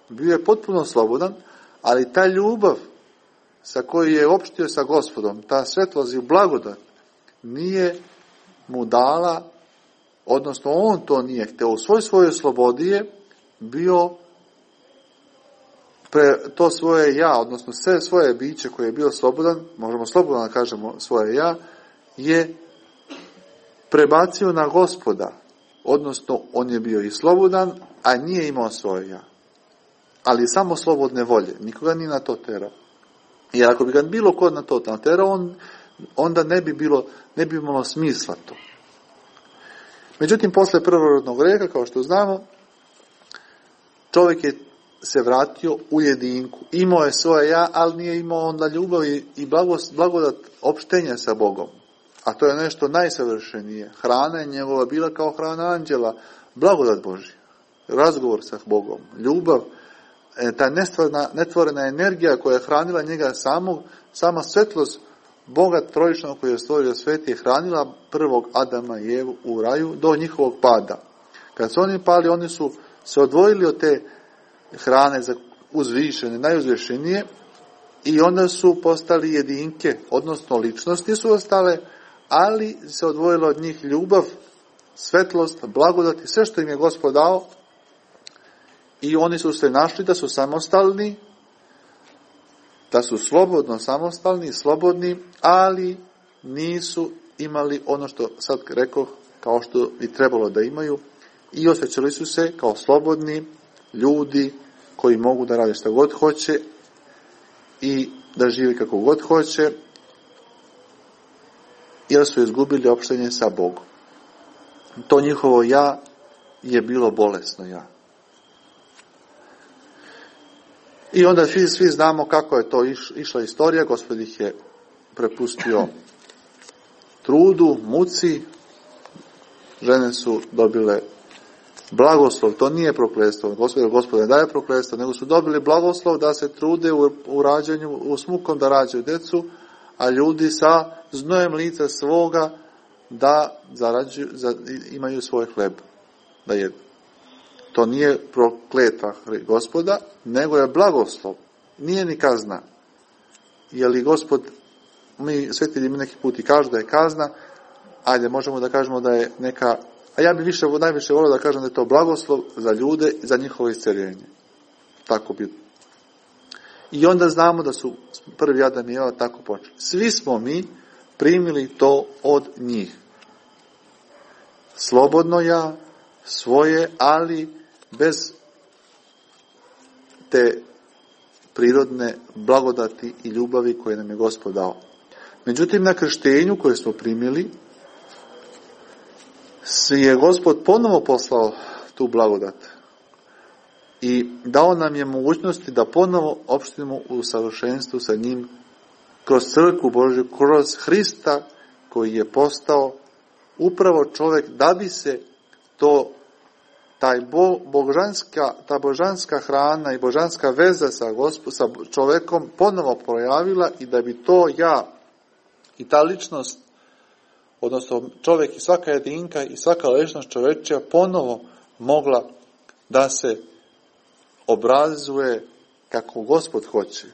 Bio je potpuno slobodan, ali ta ljubav sa kojoj je opštio sa Gospodom, ta svetlost i blagodat, nije mu dala, odnosno on to nije hteo. U svojoj slobodi je bio to svoje ja, odnosno sve svoje biće koje je bio slobodan, možemo slobodno da kažemo svoje ja, je prebacio na Gospoda. Odnosno, on je bio i slobodan, a nije imao svoje ja. Ali samo slobodne volje. Nikoga nije na to terao. Jer ako bi ga bilo kod na to terao, onda ne bi imalo smisla to. Međutim, posle prvorodnog grijeha, kao što znamo, čovjek je se vratio u jedinku. Imao je svoje ja, ali nije imao onda ljubav i blagodat opštenja sa Bogom. A to je nešto najsavršenije. Hrana je njegova bila kao hrana anđela, blagodat Božja, razgovor sa Bogom, ljubav, ta netvorena energija koja je hranila njega sama svetlost Boga trojičnog koji je stvorio svet je hranila prvog Adama i Evu u raju do njihovog pada. Kad su oni pali, oni su se odvojili od te hrane za uzvišene, najuzvišenije, i onda su postali jedinke, odnosno ličnosti su ostale, ali se odvojila od njih ljubav, svetlost, blagodat i sve što im je Gospod dao, i oni su se našli da su samostalni, da su slobodno samostalni, slobodni, ali nisu imali ono što sad rekoh, kao što bi trebalo da imaju, i osjećali su se kao slobodni ljudi koji mogu da rade šta god hoće i da živi kako god hoće, jer su izgubili opštenje sa Bogom. To njihovo ja je bilo bolesno ja. I onda svi znamo kako je to išla istorija. Gospod ih je prepustio trudu, muci, žene su dobile blagoslov, to nije prokletstvo, Gospod ne daje prokletstvo, nego su dobili blagoslov da se trude u rađanju, u smukom da rađaju decu, a ljudi sa znojem lica svoga da imaju svoj hleb, da jedu. To nije prokletva Gospoda, nego je blagoslov. Nije ni kazna. Je li Gospod, mi svetitelji neki put i kažu da je kazna, ajde, možemo da kažemo da je neka, a ja bih najviše volio da kažem da je to blagoslov za ljude i za njihovo isceljenje. Tako bi. I onda znamo da su prvi Adam i Eva tako počeli. Svi smo mi primili to od njih. Slobodno ja, svoje, ali bez te prirodne blagodati i ljubavi koje nam je Gospod dao. Međutim, na krštenju koje smo primili, je Gospod ponovo poslao tu blagodat i dao nam je mogućnosti da ponovo opštimo u savršenstvu sa njim kroz crkvu Božju, kroz Hrista koji je postao upravo čovjek, da bi se ta božanska hrana i božanska veza sa čovjekom ponovo projavila i da bi to ja i ta ličnost, odnosno čovjek i svaka jedinka i svaka ličnost čovečija ponovo mogla da se obrazuje kako Gospod hoće.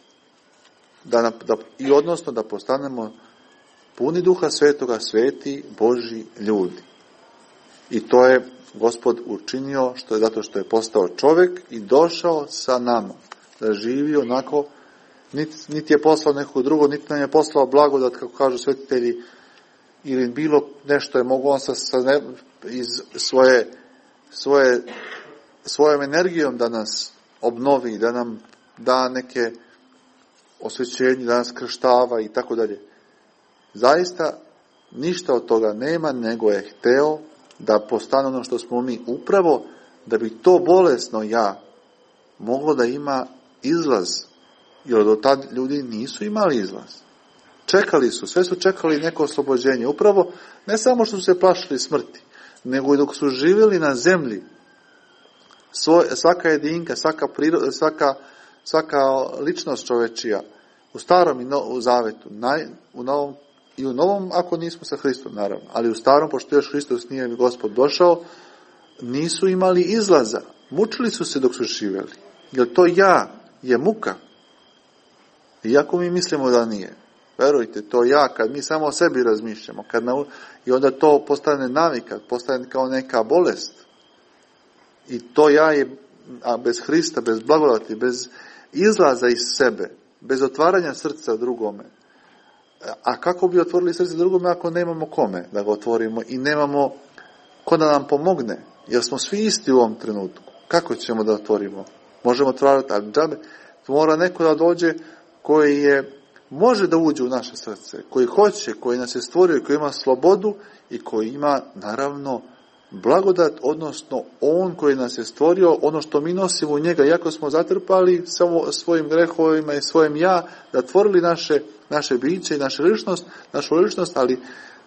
I odnosno da postanemo puni Duha Svetoga, sveti Božji ljudi. I to je Gospod učinio zato što je postao čovjek i došao sa nama da živi onako, niti je poslao neko drugo, niti nam je poslao blagodat, kako kažu svetitelji, ili bilo nešto je mogo on iz svojom energijom da nas obnovi, da nam da neke osvećenje, da nas krštava i tako dalje. Zaista ništa od toga nema, nego je hteo da postane ono što smo mi, upravo da bi to bolesno ja moglo da ima izlaz, jer do tad ljudi nisu imali izlaz. Čekali su, sve su čekali neko oslobođenje, upravo ne samo što su se plašili smrti, nego i dok su živjeli na zemlji. Svaka jedinka, svaka priroda, svaka ličnost čovečija, u starom i u zavetu, u novom ako nismo sa Hristom, naravno, ali u starom, pošto još Hristos nije Gospod došao, nisu imali izlaza. Mučili su se dok su živjeli. Jer to ja je muka. Iako mi mislimo da nije. Verujte, to ja, kad mi samo o sebi razmišljamo, i onda to postane navika, postane kao neka bolest. I to ja je, a bez Hrista, bez blagodati, bez izlaza iz sebe, bez otvaranja srca drugome. A kako bi otvorili srce drugome ako nemamo kome da ga otvorimo i nemamo ko da nam pomogne? Jer smo svi isti u ovom trenutku. Kako ćemo da otvorimo? Možemo otvarati, ali džabe. Mora neko da dođe koji može da uđe u naše srce, koji hoće, koji nas je stvorio, koji ima slobodu i koji ima, naravno, blagodat, odnosno on koji nas je stvorio, ono što mi nosimo u njega, iako smo zatrpali samo svojim grehovima i svojim ja, da tvorili naše biće i našu ličnost, ali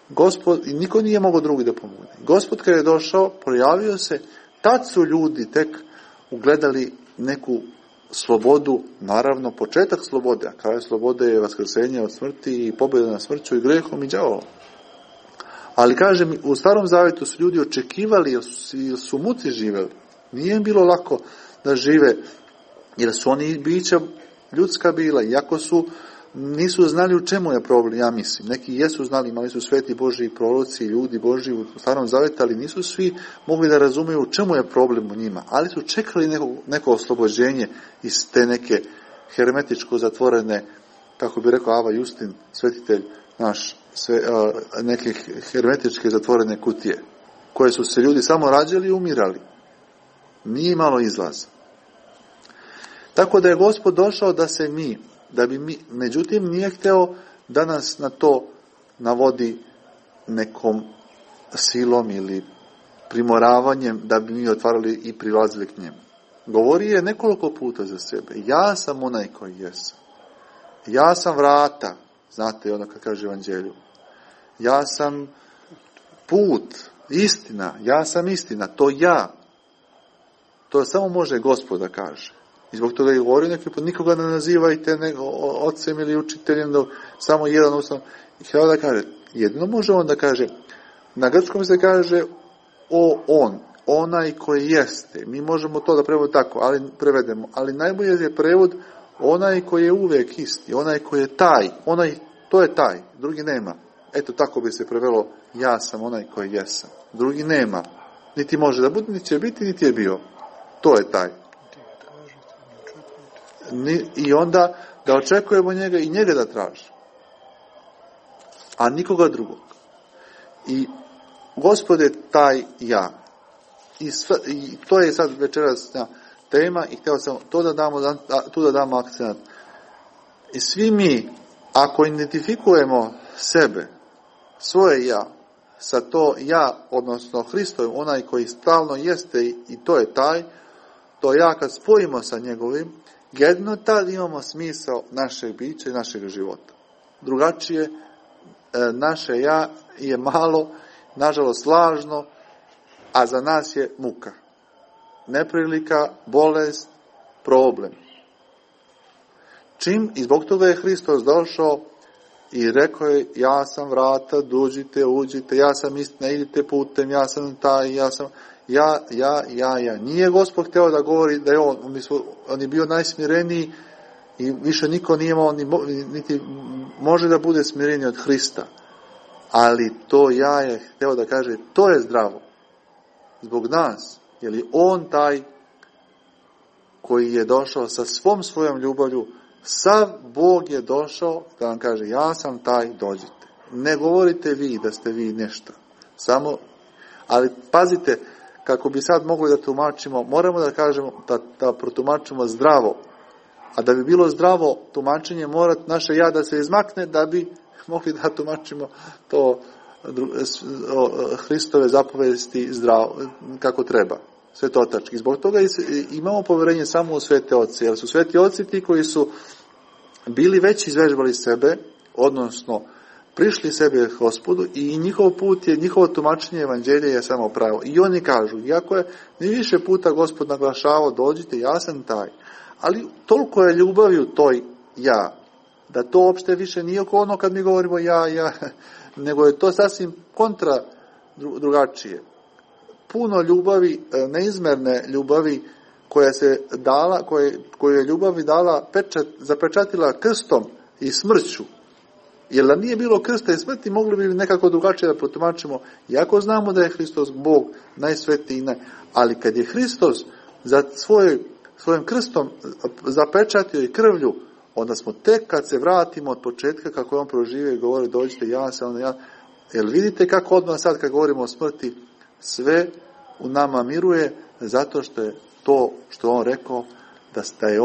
Gospod, i niko nije mogao drugi da pomogne. Gospod kad je došao, projavio se, tad su ljudi tek ugledali neku slobodu, naravno početak slobode, a kraj slobode je vaskrsenje od smrti i pobjeda na smrću i grehom i đavolom. Ali kažem, u Starom Zavetu su ljudi očekivali, jer su muci živjeli. Nije im bilo lako da žive, jer su oni bića ljudska bila, iako nisu znali u čemu je problem, ja mislim. Neki jesu znali, imali su sveti Božji proroci, ljudi Božji u Starom Zavetu, ali nisu svi mogli da razumiju u čemu je problem u njima. Ali su čekali neko oslobođenje iz te neke hermetičko zatvorene, kako bi rekao Ava Justin, svetitelj naš, neke hermetičke zatvorene kutije, koje su se ljudi samo rađali i umirali. Nije imalo izlaza. Tako da je Gospod došao da bi mi, međutim nije hteo da nas na to navodi nekom silom ili primoravanjem da bi mi otvarali i prilazili k njemu. Govori je nekoliko puta za sebe. Ja sam onaj koji jesam. Ja sam vrata. Znate ono kad kaže Evanđelju. Ja sam put, istina. Ja sam istina. To ja. To samo može Gospod da kaže. I zbog toga je govorio neki put, nikoga ne nazivajte ocem ili učiteljem, samo jedan ustav. I htio da kaže, jedino može on da kaže, na grčkom se kaže on, onaj koji jeste. Mi možemo to da prevedemo, ali najbolje je prevod onaj koji je uvijek isti, onaj koji je taj, to je taj, drugi nema. Eto tako bi se prevelo, ja sam onaj koji jesam. Drugi nema, niti može da bude, niti će biti, niti je bio. To je taj. I onda da očekujemo njega i njega da traži. A nikoga drugog. I Gospod je taj ja. I to je sad večeras tema i htio sam tu da damo akcent. I svi mi, ako identifikujemo sebe, svoje ja, sa to ja, odnosno Hristovim, onaj koji stalno jeste i to je taj, to ja kad spojimo sa njegovim, jedno tad imamo smisao našeg bića i našeg života. Drugačije, naše ja je malo, nažalost lažno, a za nas je muka. Neprilika, bolest, problem. I zbog toga je Hristos došao i rekao je, ja sam vrata, dođite, uđite, ja sam istina, idite putem, ja sam taj, ja sam... Ja. Nije Gospod hteo da govori da je on je bio najsmireniji i više niko nije imao, niti može da bude smireniji od Hrista. Ali to ja je hteo da kaže, to je zdravo. Zbog nas. Jer je on taj koji je došao sa svom svojom ljubavlju, sav Bog je došao da vam kaže, ja sam taj, dođite. Ne govorite vi da ste vi nešto. Ali pazite, kako bi sad mogli da tumačimo, moramo da kažemo, da protumačimo zdravo. A da bi bilo zdravo tumačenje, mora naše ja da se izmakne, da bi mogli da tumačimo to Hristove zapovesti zdravo, kako treba. Svetotački. Zbog toga imamo poverenje samo u svete oce, jer su sveti oci ti koji su bili već izvežbali sebe, odnosno prišli sebe Gospodu i njihov put je, njihovo tumačenje evanđelja je samo pravo. I oni kažu, iako je ni više puta Gospod naglašavao, dođite, ja sam taj. Ali toliko je ljubavi u toj ja, da to uopšte više nije oko ono kad mi govorimo ja, nego je to sasvim kontra drugačije. Puno ljubavi, neizmerne ljubavi koja se dala, koju je ljubavi dala zapečatila krstom i smrću. Jer da nije bilo krsta i smrti, mogli bi nekako drugačije da protumačimo, iako znamo da je Hristos Bog najsvetiji, ali kad je Hristos za svojim krstom zapečatio i krvlju, onda smo tek kad se vratimo od početka kako je on proživio i govori dođite, ja sam, ja. Jer vidite kako odmah sad kad govorimo o smrti, sve u nama miruje, zato što je to što on rekao, da je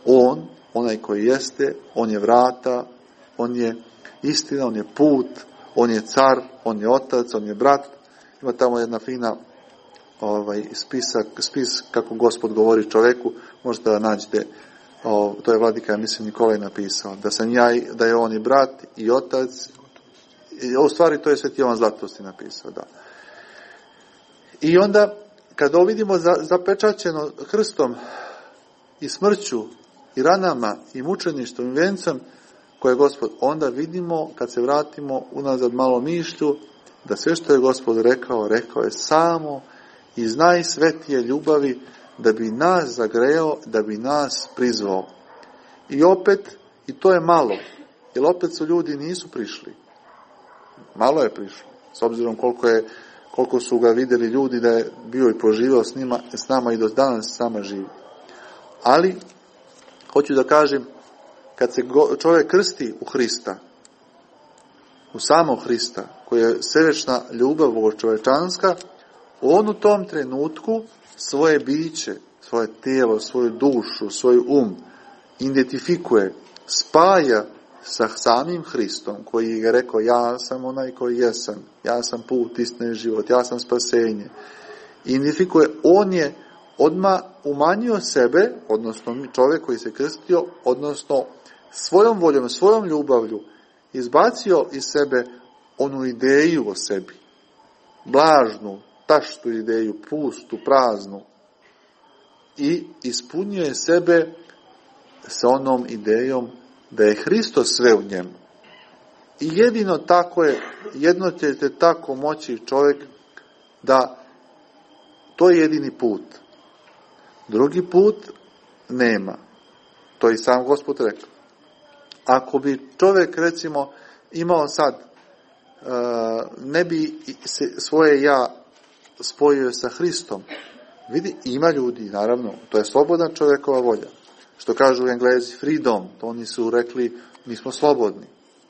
on, onaj koji jeste, on je vrata, on je istina, on je put, on je car, on je otac, on je brat. Ima tamo jedna fina spis kako Gospod govori čoveku, možete da nađete, to je vladika, ja mislim, Nikolaj napisao, da je on i brat i otac, u stvari to je Sveti Jovan Zlatosti napisao, da. I onda, kada vidimo zapečaćeno krstom i smrću i ranama i mučeništvom i vencem koje je Gospod, onda vidimo, kad se vratimo unazad malo mišlju, da sve što je Gospod rekao je samo iz najsvetije ljubavi, da bi nas zagreo, da bi nas prizvao. I opet, i to je malo, jer opet su ljudi nisu prišli. Malo je prišlo, s obzirom koliko su ga vidjeli ljudi da je bio i poživio s nama i do danas sama živi. Ali, hoću da kažem, kad se čovjek krsti u Hrista, u samog Hrista, koja je svevečna ljubav bogočovečanska, on u tom trenutku svoje biće, svoje tijelo, svoju dušu, svoj identifikuje, spaja sa samim Hristom, koji je rekao, ja sam onaj koji jesam, ja sam put, istina i život, ja sam spasenje. Identifikuje, on je odmah umanjio sebe, odnosno čovjek koji se krstio, odnosno svojom voljom, svojom ljubavlju, izbacio iz sebe onu ideju o sebi. Blažnu, taštu ideju, pustu, praznu. I ispunio je sebe sa onom idejom da je Hristos sve u njemu. I jedino tako je, jedno ćete tako moći čovjek da to je jedini put. Drugi put nema. To je i sam Gospod rekao. Ako bi čovjek, recimo, imao sad, ne bi svoje ja spojio sa Hristom. Vidi, ima ljudi, naravno, to je slobodna čovjekova volja. Što kažu Englezi, freedom, to oni su rekli, mi smo slobodni,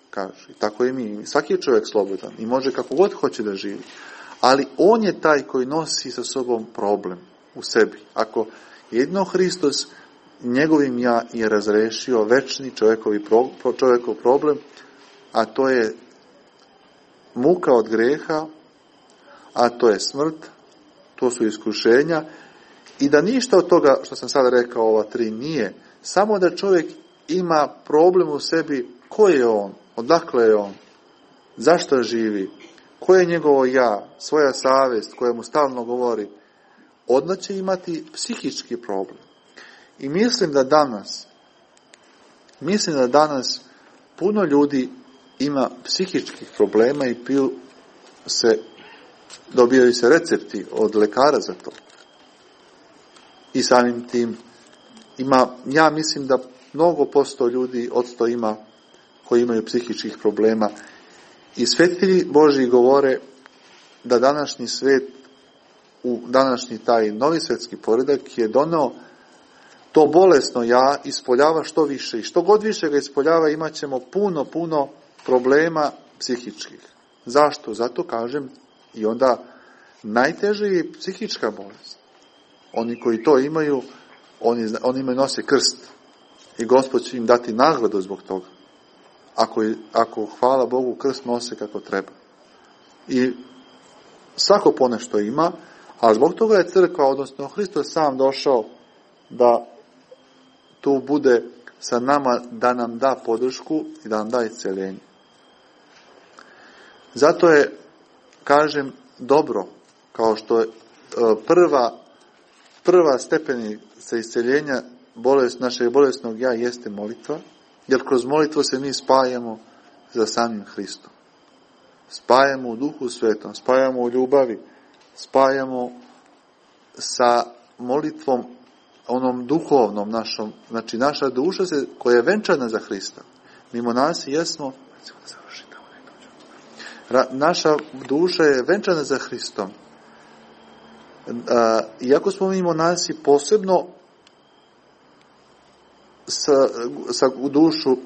kažu. I tako i mi, svaki je čovjek slobodan i može kako god hoće da živi. Ali on je taj koji nosi sa sobom problem u sebi. Ako jedno Hristos njegovim ja je razrešio večni čovjekov problem, a to je muka od greha, a to je smrt, to su iskušenja, i da ništa od toga što sam sada rekao, ova tri, nije, samo da čovjek ima problem u sebi, ko je on, odakle je on, zašto živi, ko je njegovo ja, svoja savjest koja mu stalno govori, odmah će imati psihički problem. I mislim da danas puno ljudi ima psihičkih problema i dobijaju se recepti od lekara za to. I samim tim ja mislim da mnogo posto ljudi odsto ima koji imaju psihičkih problema. I svetitelji Božji govore da današnji svet, u današnji taj novi svetski poredak je doneo to bolesno ja ispoljava što više. I što god više ga ispoljava imat ćemo puno problema psihičkih. Zašto? Zato kažem, i onda najteže je psihička bolest. Oni koji to imaju, oni imaju nose krst. I Gospod će im dati nagradu zbog toga. Ako hvala Bogu, krst nose kako treba. I svako ponešto ima, a zbog toga je crkva, odnosno Hristos sam došao da tu bude sa nama, da nam da podršku i da nam da isceljenje. Zato je, kažem, dobro, kao što je prva stepenica isceljenja našeg bolesnog ja jeste molitva, jer kroz molitvu se mi spajamo za samim Hristom. Spajamo u Duhu Svetom, spajamo u ljubavi, spajamo sa molitvom onom duhovnom našom, znači naša duša koja je venčana za Hrista. Mi monasi jesmo, naša duša je venčana za Hristom. Iako smo mi monasi posebno sa dušu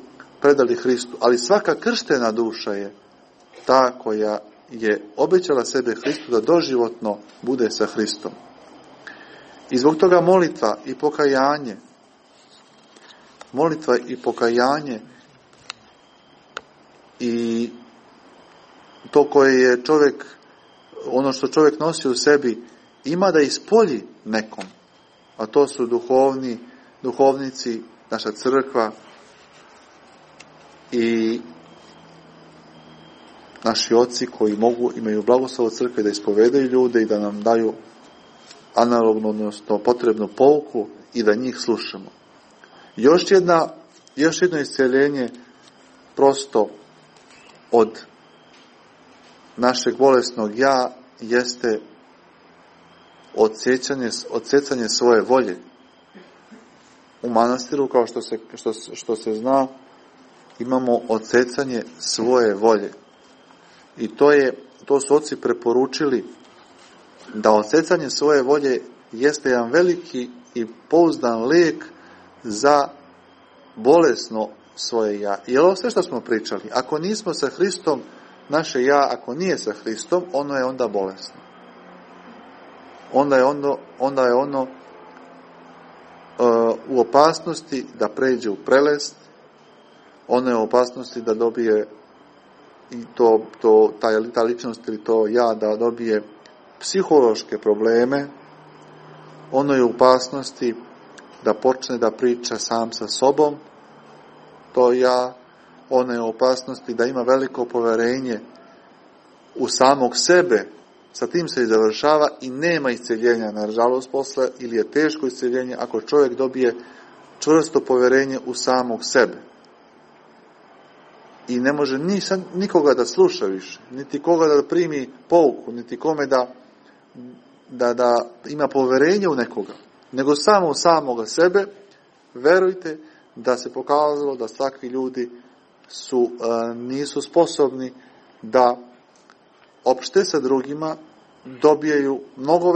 predali Hristu, ali svaka krštena duša je ta koja je obećala sebe Hristu da doživotno bude sa Hristom. I zbog toga molitva i pokajanje i to koje je čovjek, ono što čovjek nosi u sebi, ima da ispolji nekom, a to su duhovnici, naša crkva i naši oci koji imaju blagoslov od crkve da ispovedaju ljude i da nam daju analogno, odnosno potrebnu pouku i da njih slušamo. Još jedno isceljenje prosto od našeg bolesnog ja jeste odsecanje svoje volje. U manastiru, kao što se zna, imamo odsecanje svoje volje. I to su oci preporučili da odsecanje svoje volje jeste jedan veliki i pouzdan lijek za bolesno svoje ja. I ovo sve što smo pričali, ako nismo sa Hristom, naše ja, ako nije sa Hristom, ono je onda bolesno. Onda je ono u opasnosti da pređe u prelest, ono je u opasnosti da dobije i ta ličnost ili to ja da dobije psihološke probleme, ono je u opasnosti da počne da priča sam sa sobom, to ja, ono je u opasnosti da ima veliko poverenje u samog sebe, sa tim se i završava i nema isceljenja, nažalost, posle, ili je teško isceljenje ako čovjek dobije čvrsto poverenje u samog sebe. I ne može nikoga da sluša više, niti koga da primi pouku, niti kome da ima poverenje u nekoga, nego samo u samoga sebe. Verujte da se pokazalo da takvi ljudi nisu sposobni da opšte sa drugima, dobijaju mnogo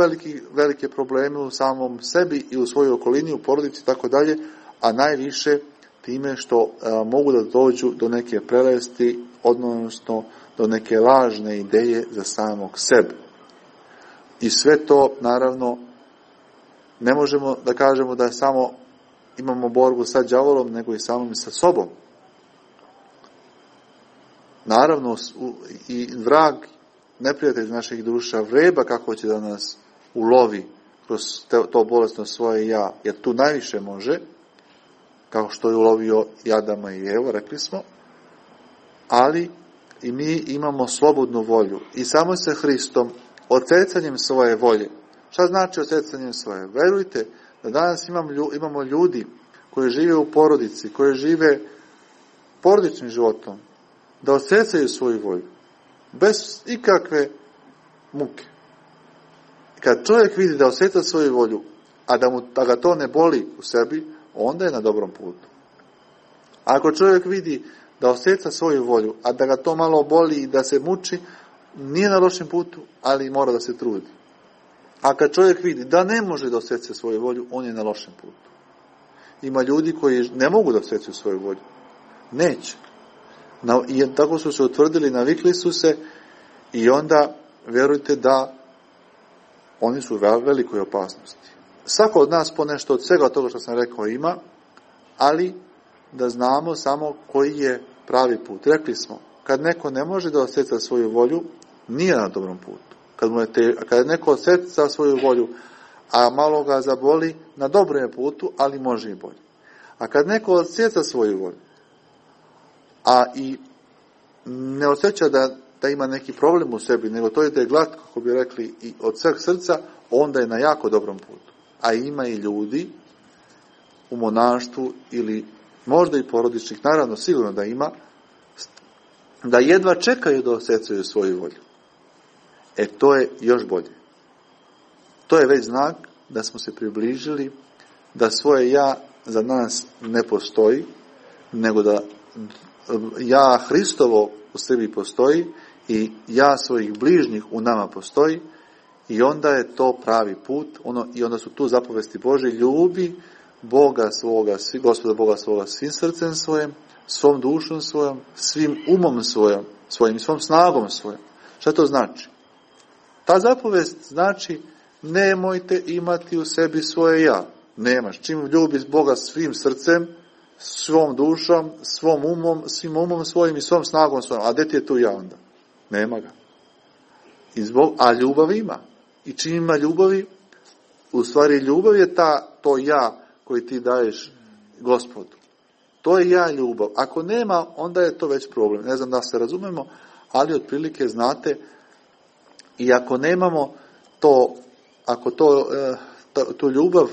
velike probleme u samom sebi i u svojoj okolini, u porodici i tako dalje, a najviše time što mogu da dođu do neke prelesti, odnosno do neke lažne ideje za samog sebe. I sve to, naravno, ne možemo da kažemo da samo imamo borbu sa đavolom, nego i samim sa sobom. Naravno, i vrag, neprijatelj naših duša, vreba kako će da nas ulovi kroz to bolesno svoje ja, jer tu najviše može, kao što je ulovio i Adama i Evu, rekli smo, ali i mi imamo slobodnu volju i samo sa Hristom, odsecanjem svoje volje. Šta znači odsecanjem svoje? Verujte da danas imamo ljudi koji žive u porodici, koji žive porodičnim životom, da odsecaju svoju volju, bez ikakve muke. Kad čovjek vidi da osjeća svoju volju, a da ga to ne boli u sebi, onda je na dobrom putu. Ako čovjek vidi da osjeća svoju volju, a da ga to malo boli i da se muči, nije na lošem putu, ali mora da se trudi. A kad čovjek vidi da ne može da osjeća svoju volju, on je na lošem putu. Ima ljudi koji ne mogu da osjećaju svoju volju. Neće. I tako su se utvrdili, navikli su se i onda vjerujte da oni su u velikoj opasnosti. Svako od nas ponešto od svega toga što sam rekao ima, ali da znamo samo koji je pravi put. Rekli smo, kad neko ne može da osjeća svoju volju, nije na dobrom putu. Kad neko osjeća svoju volju, a malo ga zaboli, na dobrom je putu, ali može i bolje. A kad neko osjeća svoju volju, a i ne osjeća da da ima neki problem u sebi, nego to ide glatko, kako bi rekli, i od sveg srca, onda je na jako dobrom putu. A ima i ljudi u monaštvu ili možda i porodičnih, naravno sigurno da ima, da jedva čekaju da osjećaju svoju volju. To je još bolje. To je već znak da smo se približili, da svoje ja za nas ne postoji, nego da ja Hristovo u sebi postoji i ja svojih bližnjih u nama postoji, i onda je to pravi put, i onda su tu zapovesti Božje: ljubi Boga svoga, Gospoda Boga svoga svim srcem svojim, svom dušom svojom, svim umom svojim, svom snagom svojom. Šta to znači? Ta zapovest znači: nemojte imati u sebi svoje ja. Nemaš. Čim ljubiš Boga svim srcem, svom dušom, svom umom, svim umom svojim i svom snagom svojom. A gdje ti je tu ja onda? Nema ga. A ljubav ima. I čim ima ljubavi, u stvari ljubav je to ja koji ti daješ Gospodu. To je ja ljubav. Ako nema, onda je to već problem. Ne znam da se razumemo, ali otprilike znate, i ako nemamo tu ljubav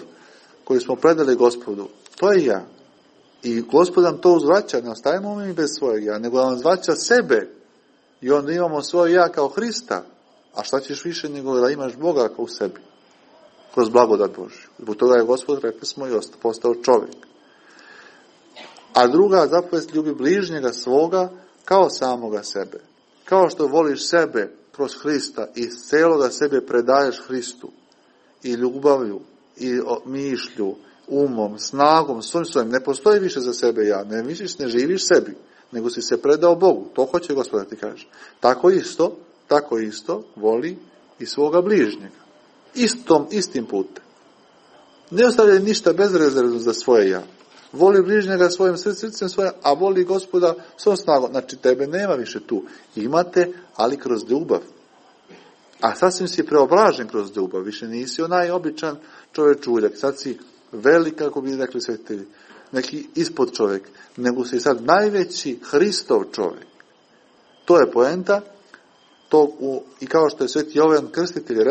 koju smo predali Gospodu, to je ja. I Gospod nam to uzvraća, ne ostajemo mi bez svojeg ja, nego nam uzvraća sebe. I onda imamo svoje ja kao Hrista. A šta ćeš više nego da imaš Boga kao u sebi? Kroz blagodat Božju. Zbog toga je Gospod, rekli smo, i postao čovjek. A druga zapovest: ljubi bližnjega svoga kao samoga sebe. Kao što voliš sebe kroz Hrista i iz celoga sebe predaješ Hristu, i ljubavlju, i mišlju, umom, snagom, svojim, ne postoji više za sebe ja, ne živiš sebi, nego si se predao Bogu. To hoće Gospod da ti kaže. Tako isto voli i svoga bližnjega. Istim putem. Ne ostavlja ništa bezrezervno za svoje ja. Voli bližnjega svojim srcem svoje, a voli Gospoda svom snagom. Znači, tebe nema više tu. Imate, ali kroz ljubav. A sasvim si preobražen kroz ljubav. Više nisi onaj običan čovečuljak. Sad si velik, kako bi rekli svetitelji, neki ispod čovjek, nego si sad najveći Hristov čovjek. To je poenta. I kao što je Sveti Jovan Krstitelj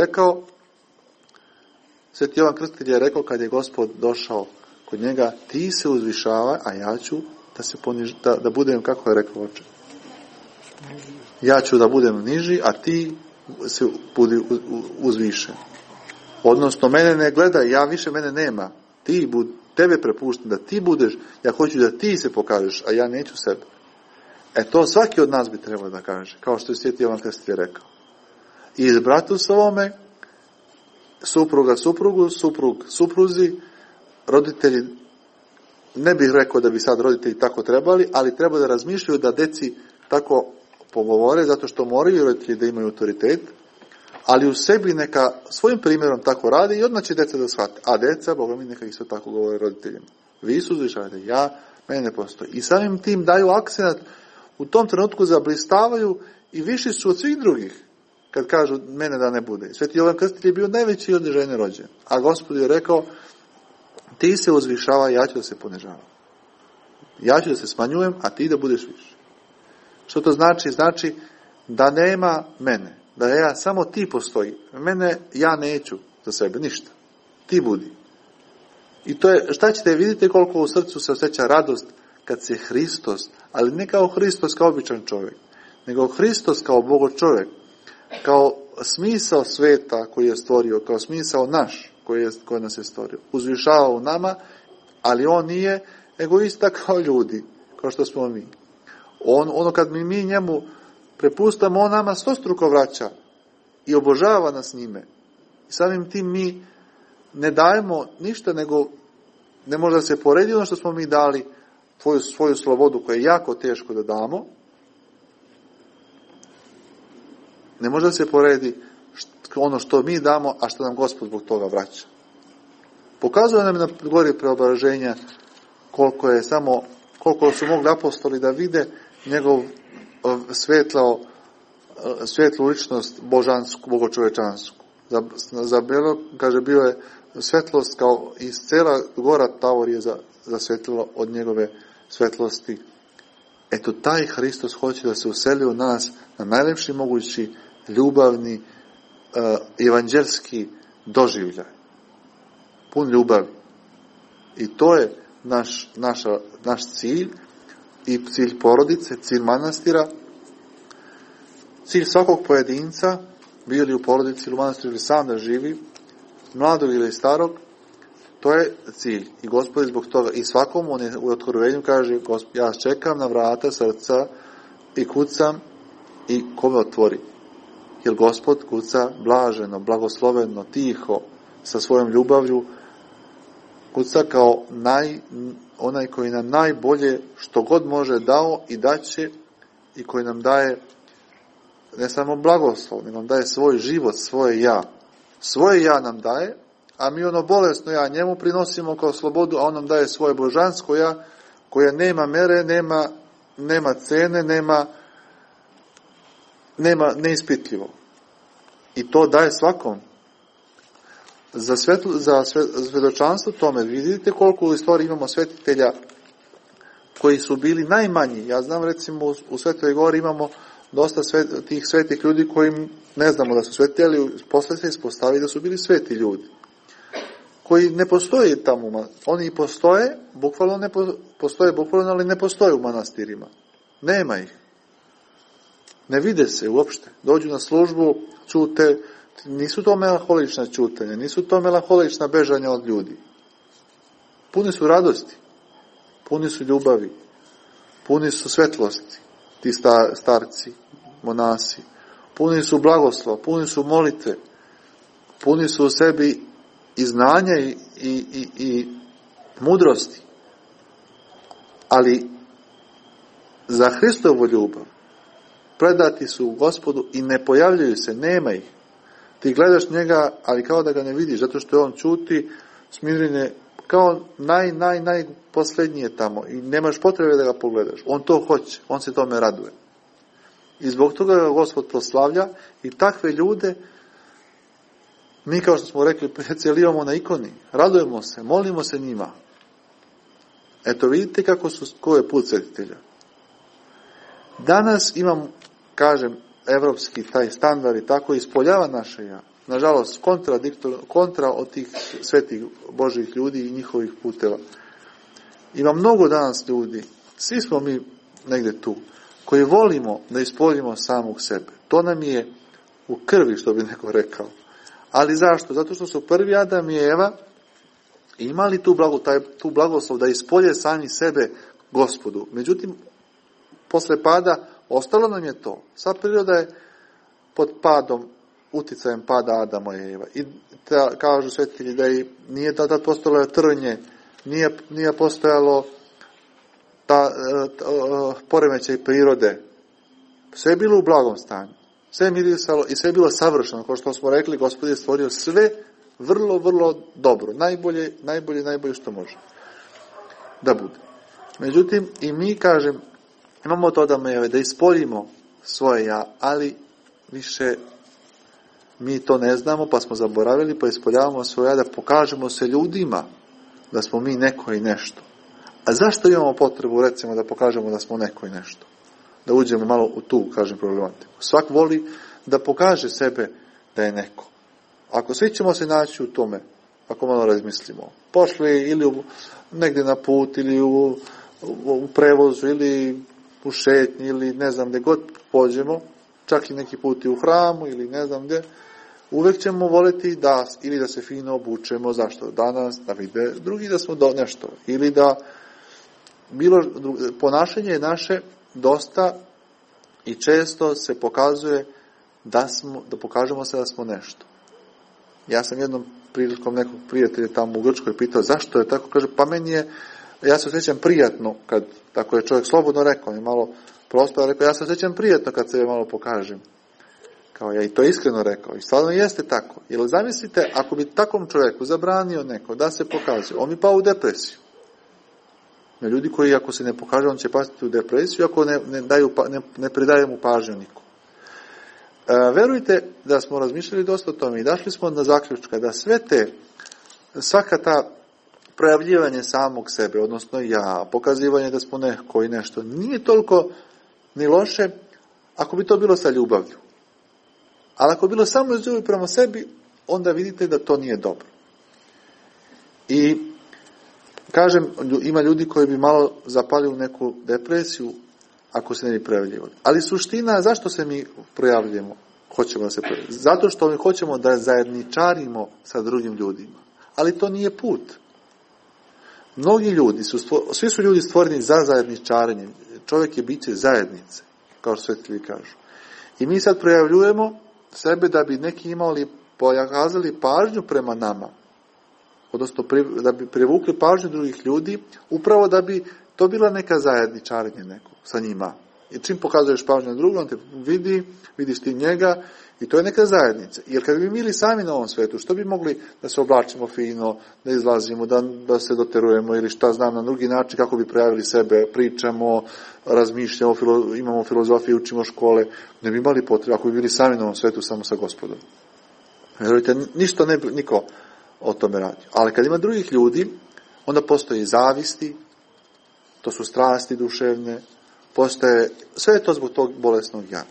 rekao, kad je Gospod došao kod njega: ti se uzvišavaj, a ja ću da budem, kako je rekao oče? Ja ću da budem niži, a ti se budi uzvišen. Odnosno, mene ne gledaj, mene nema. Tebe prepuštam da ti budeš, ja hoću da ti se pokažeš, a ja neću sebe. To svaki od nas bi trebao da kaže, kao što je Sveti Jovan Krstitelj rekao. I bratu svome, supruga suprugu, suprug supruzi, roditelji, ne bih rekao da bi sad roditelji tako trebali, ali treba da razmišljaju da deci tako pogovore, zato što moraju roditelji da imaju autoritet, ali u sebi neka svojim primjerom tako radi i odmah će deca da shvate. A deca, Boga mi, neka isto tako govore roditeljima. Vi su uzvišavate, mene ne postoji. I samim tim daju akcenat, u tom trenutku zablistavaju i viši su od svih drugih, kad kažu mene da ne bude. Sveti Jovan Krstitelj je bio najveći od žene rođen. A Gospod je rekao: ti se uzvišavaj, ja ću da se ponižavam. Ja ću da se smanjujem, a ti da budeš više. Što to znači? Znači da nema mene. Da samo ti postoji. Mene ja neću za sebe, ništa. Ti budi. I to je, šta ćete, vidite koliko u srcu se osjeća radost kad se Hristos, ali ne kao Hristos kao običan čovjek, nego Hristos kao Bogo čovjek, kao smisao sveta koji je stvorio, kao smisao naš koji nas je stvorio, uzvišava u nama, ali on nije egoista kao ljudi, kao što smo mi. Ono kad mi njemu prepustamo, on nama stostruko vraća i obožava nas njime. I samim tim mi ne dajemo ništa, nego ne može da se poredi ono što smo mi dali, svoju slobodu koju je jako teško da damo. Ne može da se poredi ono što mi damo, a što nam Gospod zbog toga vraća. Pokazuje nam na gori preobraženja koliko su mogli apostoli da vide njegov svetlu ličnost božansku, bogočovečansku. Za Belo, kaže, bio je svetlost kao i cela gora Tavor je zasvetlila od njegove svetlosti Eto, taj Hristos hoće da se useli u nas na najlepši mogući ljubavni, evanđelski doživljaj. Pun ljubavi. I to je naš cilj i cilj porodice, cilj manastira, cilj svakog pojedinca, bio li u porodici ili u manastiru ili sam da živi, mladog ili starog, to je cilj. I Gospod zbog toga, i svakom on je u otkrovenju kaže, ja čekam na vrata srca i kucam i ko me otvori. Jer Gospod kuca blaženo, blagosloveno, tiho, sa svojom ljubavlju, kuca kao onaj koji nam najbolje što god može dao i daće, i koji nam daje ne samo blagoslov, nego nam daje svoj život, svoje ja. Svoje ja nam daje, a mi ono bolesno ja njemu prinosimo kao slobodu, a on nam daje svoje božansko ja, koje nema mere, nema cene, nema neispitljivo. I to daje svakom. Za svedočanstvo tome, vidite koliko u istoriji imamo svetitelja koji su bili najmanji. Ja znam, recimo, u Svetoj Gori imamo dosta tih svetih ljudi koji ne znamo da su sveti, ali posle se ispostavi da su bili sveti ljudi. Koji ne postoje tamo. Oni postoje, postoje bukvalno, ali ne postoje u manastirima. Nema ih. Ne vide se uopšte. Dođu na službu, čute. Nisu to melaholična čutanja, nisu to melaholična bežanja od ljudi. Puni su radosti, puni su ljubavi, puni su svetlosti, ti starci, monasi, puni su blagoslova, puni su molitve, puni su u sebi i znanja i mudrosti. Ali za Hristovu ljubav predati su u Gospodu i ne pojavljaju se, nema ih. Ti njega, ali kao da ga ne vidiš, zato što on čuti, smirine, kao najposlednije tamo i nemaš potrebe da ga pogledaš. On to hoće, on se tome raduje. I zbog toga ga Gospod proslavlja i takve ljude mi, kao što smo rekli, cijelivamo na ikoni, radujemo se, molimo se njima. Eto, vidite ko je put svetitelja. Danas imam, kažem, evropski taj standard i tako ispoljava naše ja. Nažalost, kontra od tih svetih Božih ljudi i njihovih puteva. Ima mnogo danas ljudi, svi smo mi negde tu, koji volimo da ispoljimo samog sebe. To nam je u krvi, što bi neko rekao. Ali zašto? Zato što su prvi Adam i Eva imali tu blagoslov da ispolje sami sebe Gospodu. Međutim, posle pada ostalo nam je to. Sva priroda je pod uticajem pada Adama i Eva. I kažu svetitelji da nije tada postojalo trnje, nije postojalo poremećaj prirode. Sve je bilo u blagom stanju. Sve je mirisalo i sve je bilo savršeno. Kao što smo rekli, Gospod je stvorio sve vrlo, vrlo dobro. Najbolje što može da bude. Međutim, i mi, kažem, imamo to da ispoljimo svoje ja, ali više mi to ne znamo, pa smo zaboravili, pa ispoljavamo svoje ja da pokažemo se ljudima da smo mi neko i nešto. A zašto imamo potrebu, recimo, da pokažemo da smo neko i nešto? Da uđemo malo u tu, kažem, problematiku. Svak voli da pokaže sebe da je neko. Ako svi ćemo se naći u tome, ako malo razmislimo, pošli ili negdje na put, ili u prevozu, ili u šetnji, ili ne znam gdje god pođemo, čak i neki put i u hramu, ili ne znam gdje, uvek ćemo voliti ili da se fino obučemo, zašto danas, da vide drugi da smo nešto, ili da ponašanje naše dosta i često se pokazuje da pokažemo se da smo nešto. Ja sam jednom prilikom nekog prijatelja tamo u Grčkoj pitao zašto je tako, kaže, pa meni ja se osjećam prijatno kad, tako je čovjek slobodno rekao, je malo prosto rekao, ja se osjećam prijatno kad se malo pokažem. Kao ja i to iskreno rekao. I stvarno jeste tako. Jer zamislite, ako bi takvom čovjeku zabranio neko da se pokaže, on bi pao u depresiju. Ljudi koji ako se ne pokaže, on će pasti u depresiju, ako ne predaje mu pažnju nikom. Verujte da smo razmišljali dosta o tome i došli smo na zaključka da svaka ta projavljivanje samog sebe, odnosno ja, pokazivanje da smo neko i nešto, nije toliko ni loše ako bi to bilo sa ljubavlju. Ali ako bi bilo samo iz ljubavi prema sebi, onda vidite da to nije dobro. I kažem, ima ljudi koji bi malo zapali u neku depresiju ako se ne bi projavljivali. Ali suština, zašto se mi projavljujemo? Hoćemo da se projavljamo. Zato što mi hoćemo da zajedničarimo sa drugim ljudima. Ali to nije put. Mnogi ljudi, svi su ljudi stvoreni za zajedničarenje. Čovjek je biće zajednice, kao što svetitelji kažu. I mi sad projavljujemo sebe da bi neki pokazali pažnju prema nama. Odnosno da bi privukli pažnju drugih ljudi, upravo da bi to bila neka zajedničarenje neko sa njima. I čim pokazuješ pažnju na drugom, on te vidiš ti njega i to je neka zajednica. Jer kad bi bili sami na ovom svetu, što bi mogli da se oblačimo fino, da izlazimo, da se doterujemo ili šta znam na drugi način, kako bi projavili sebe, pričamo, razmišljamo, imamo filozofiju, učimo škole, ne bi imali potrebe ako bi bili sami na ovom svetu samo sa Gospodom. Vjerujte, ništa niko o tome radi. Ali kad ima drugih ljudi, onda postoje zavisti, to su strasti duševne, postoje, sve je to zbog tog bolesnog ja.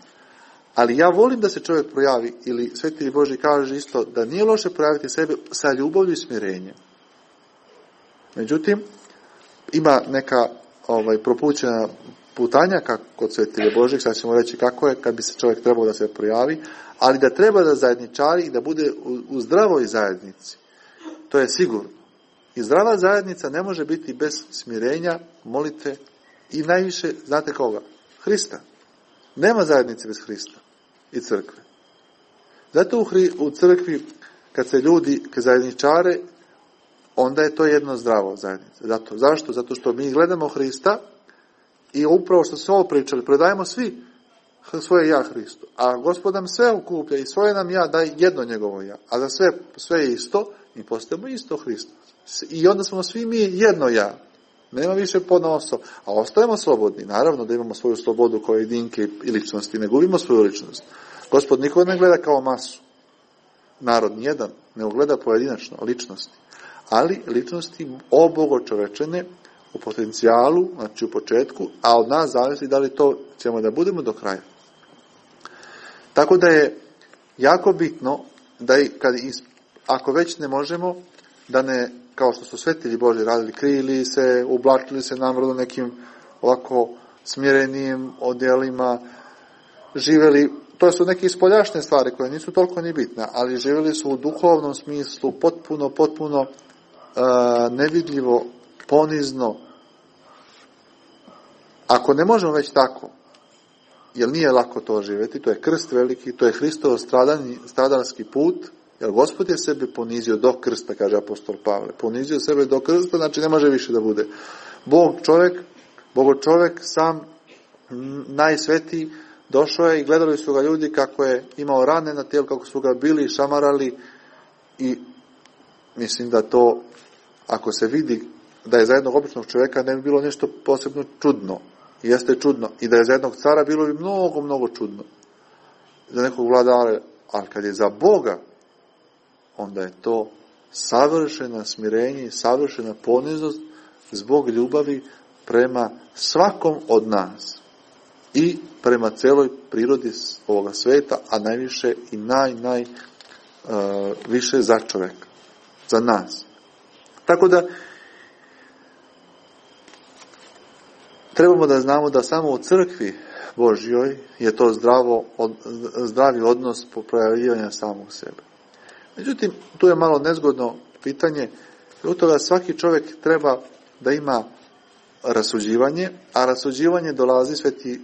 Ali ja volim da se čovjek projavi, ili Svetitelj Božji kaže isto, da nije loše projaviti sebe sa ljubavlju i smirenjem. Međutim, ima neka propućena putanjaka kod Svetitelja Božjeg, sad ćemo reći kako je, kad bi se čovjek trebao da se projavi, ali da treba da zajedničari i da bude u zdravoj zajednici. To je sigurno. I zdrava zajednica ne može biti bez smirenja, molitve i najviše, znate koga? Hrista. Nema zajednice bez Hrista i crkve. Zato u crkvi, kad se ljudi zajedničare, onda je to jedno zdravo zajednica. Zašto? Zato što mi gledamo Hrista i upravo što smo ovo pričali, predajemo svi svoje ja Hristu. A Gospod nam sve okuplja i svoje nam ja daje jedno njegovo ja. A za sve je isto i postajemo isto Hristo. I onda smo svi mi jedno ja. Nema više ponosa, a ostajemo slobodni. Naravno da imamo svoju slobodu kao jedinke i ličnosti, ne gubimo svoju ličnost. Gospod nikog ne gleda kao masu. Narod nijedan ne gleda pojedinačno ličnosti. Ali ličnosti obogočovečene u potencijalu, znači u početku, a od nas zavisi da li to ćemo da budemo do kraja. Tako da je jako bitno da ako već ne možemo, da ne, kao što su Svetitelji Božji radili, krili se, ublačili se namrodno nekim ovako smirenijim odjelima, živjeli, to su neke ispoljašnje stvari koje nisu toliko ni bitne, ali živjeli su u duhovnom smislu potpuno nevidljivo, ponizno. Ako ne možemo već tako, jer nije lako to živjeti, to je krst veliki, to je Hristov stradalski put, jer Gospod je sebe ponizio do krsta, kaže apostol Pavle. Ponizio sebe do krsta, znači ne može više da bude. Bogo čovjek sam najsvetiji, došao je i gledali su ga ljudi kako je imao rane na tijelu, kako su ga bili, šamarali i mislim da to, ako se vidi da je za jednog običnog čovjeka, ne bi bilo nešto posebno čudno. Jeste čudno. I da je za jednog cara bilo bi mnogo čudno. Za nekog vladara, ali kad je za Boga, onda je to savršena smirenje i savršena poniznost zbog ljubavi prema svakom od nas i prema celoj prirodi ovoga sveta, a najviše i više za čovjeka, za nas. Tako da trebamo da znamo da samo u crkvi Božjoj je to zdravi odnos projavljivanja samog sebe. Međutim, tu je malo nezgodno pitanje, u toga svaki čovjek treba da ima rasuđivanje, a rasuđivanje dolazi, Sveti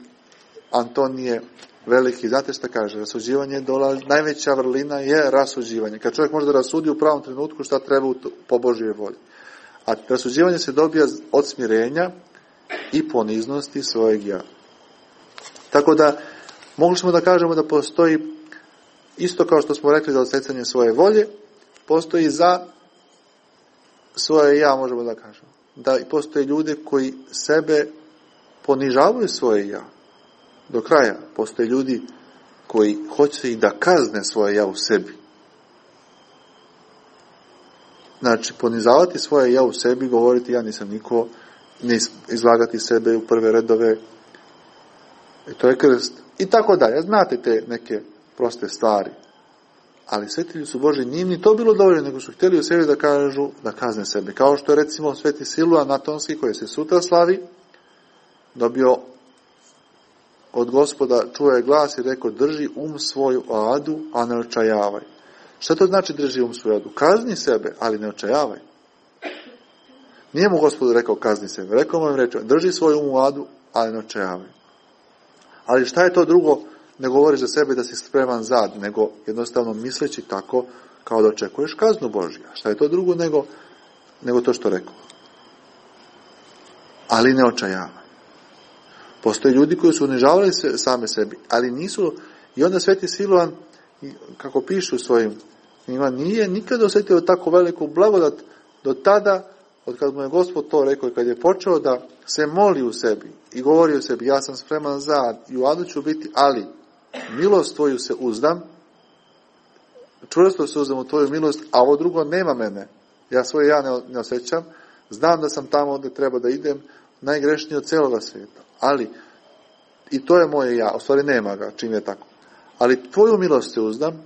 Antonije Veliki, znate šta kaže, rasuđivanje dolazi, najveća vrlina je rasuđivanje. Kad čovjek može da rasudi u pravom trenutku šta treba po Božjoj volji. A rasuđivanje se dobija od smirenja i poniznosti svojeg ja. Tako da, mogli smo da kažemo da postoji, isto kao što smo rekli za odsecanje svoje volje, postoji za svoje ja, možemo da kažemo. Da postoje ljude koji sebe ponižavaju svoje ja. Do kraja. Postoje ljudi koji hoće i da kazne svoje ja u sebi. Znači, ponizavati svoje ja u sebi, govoriti ja nisam niko, ne izlagati sebe u prve redove, i to je krst. I tako dalje. Znate te neke proste stvari. Ali svetitelji su Boži, nije ni to bilo dovoljno, nego su htjeli u sebi da kažu, da kazne sebe. Kao što je recimo sveti Siluan Atonski, koji se sutra slavi, dobio od Gospoda, čuo je glas i rekao, drži svoju adu, a ne očajavaj. Šta to znači drži svoju adu? Kazni sebe, ali ne očajavaj. Nije mu Gospodu rekao kazni sebe. Rekao mu reče, drži svoju adu, ali ne očajavaj. Ali šta je to drugo? Ne govoriš za sebe da si spreman za, nego jednostavno misleći tako kao da očekuješ kaznu Božju. Šta je to drugo nego to što rekao? Ali ne očajavaj. Postoje ljudi koji su unižavali same sebi, ali nisu, i onda sveti Siluan, kako pišu u svojim knjigama, nije nikada osjetio tako veliku blagodat do tada, od kad mu je Gospod to rekao i kad je počeo da se moli u sebi i govori u sebi, ja sam spreman za i u adu ću biti, ali milost tvoju se uzdam, čvrsto se uzdam u tvoju milost, a ovo drugo nema mene. Ja svoje ja ne osjećam, znam da sam tamo gdje treba da idem, najgrešniji od cijeloga svijeta. Ali, i to je moje ja, u stvari nema ga, čim je tako. Ali tvoju milost se uzdam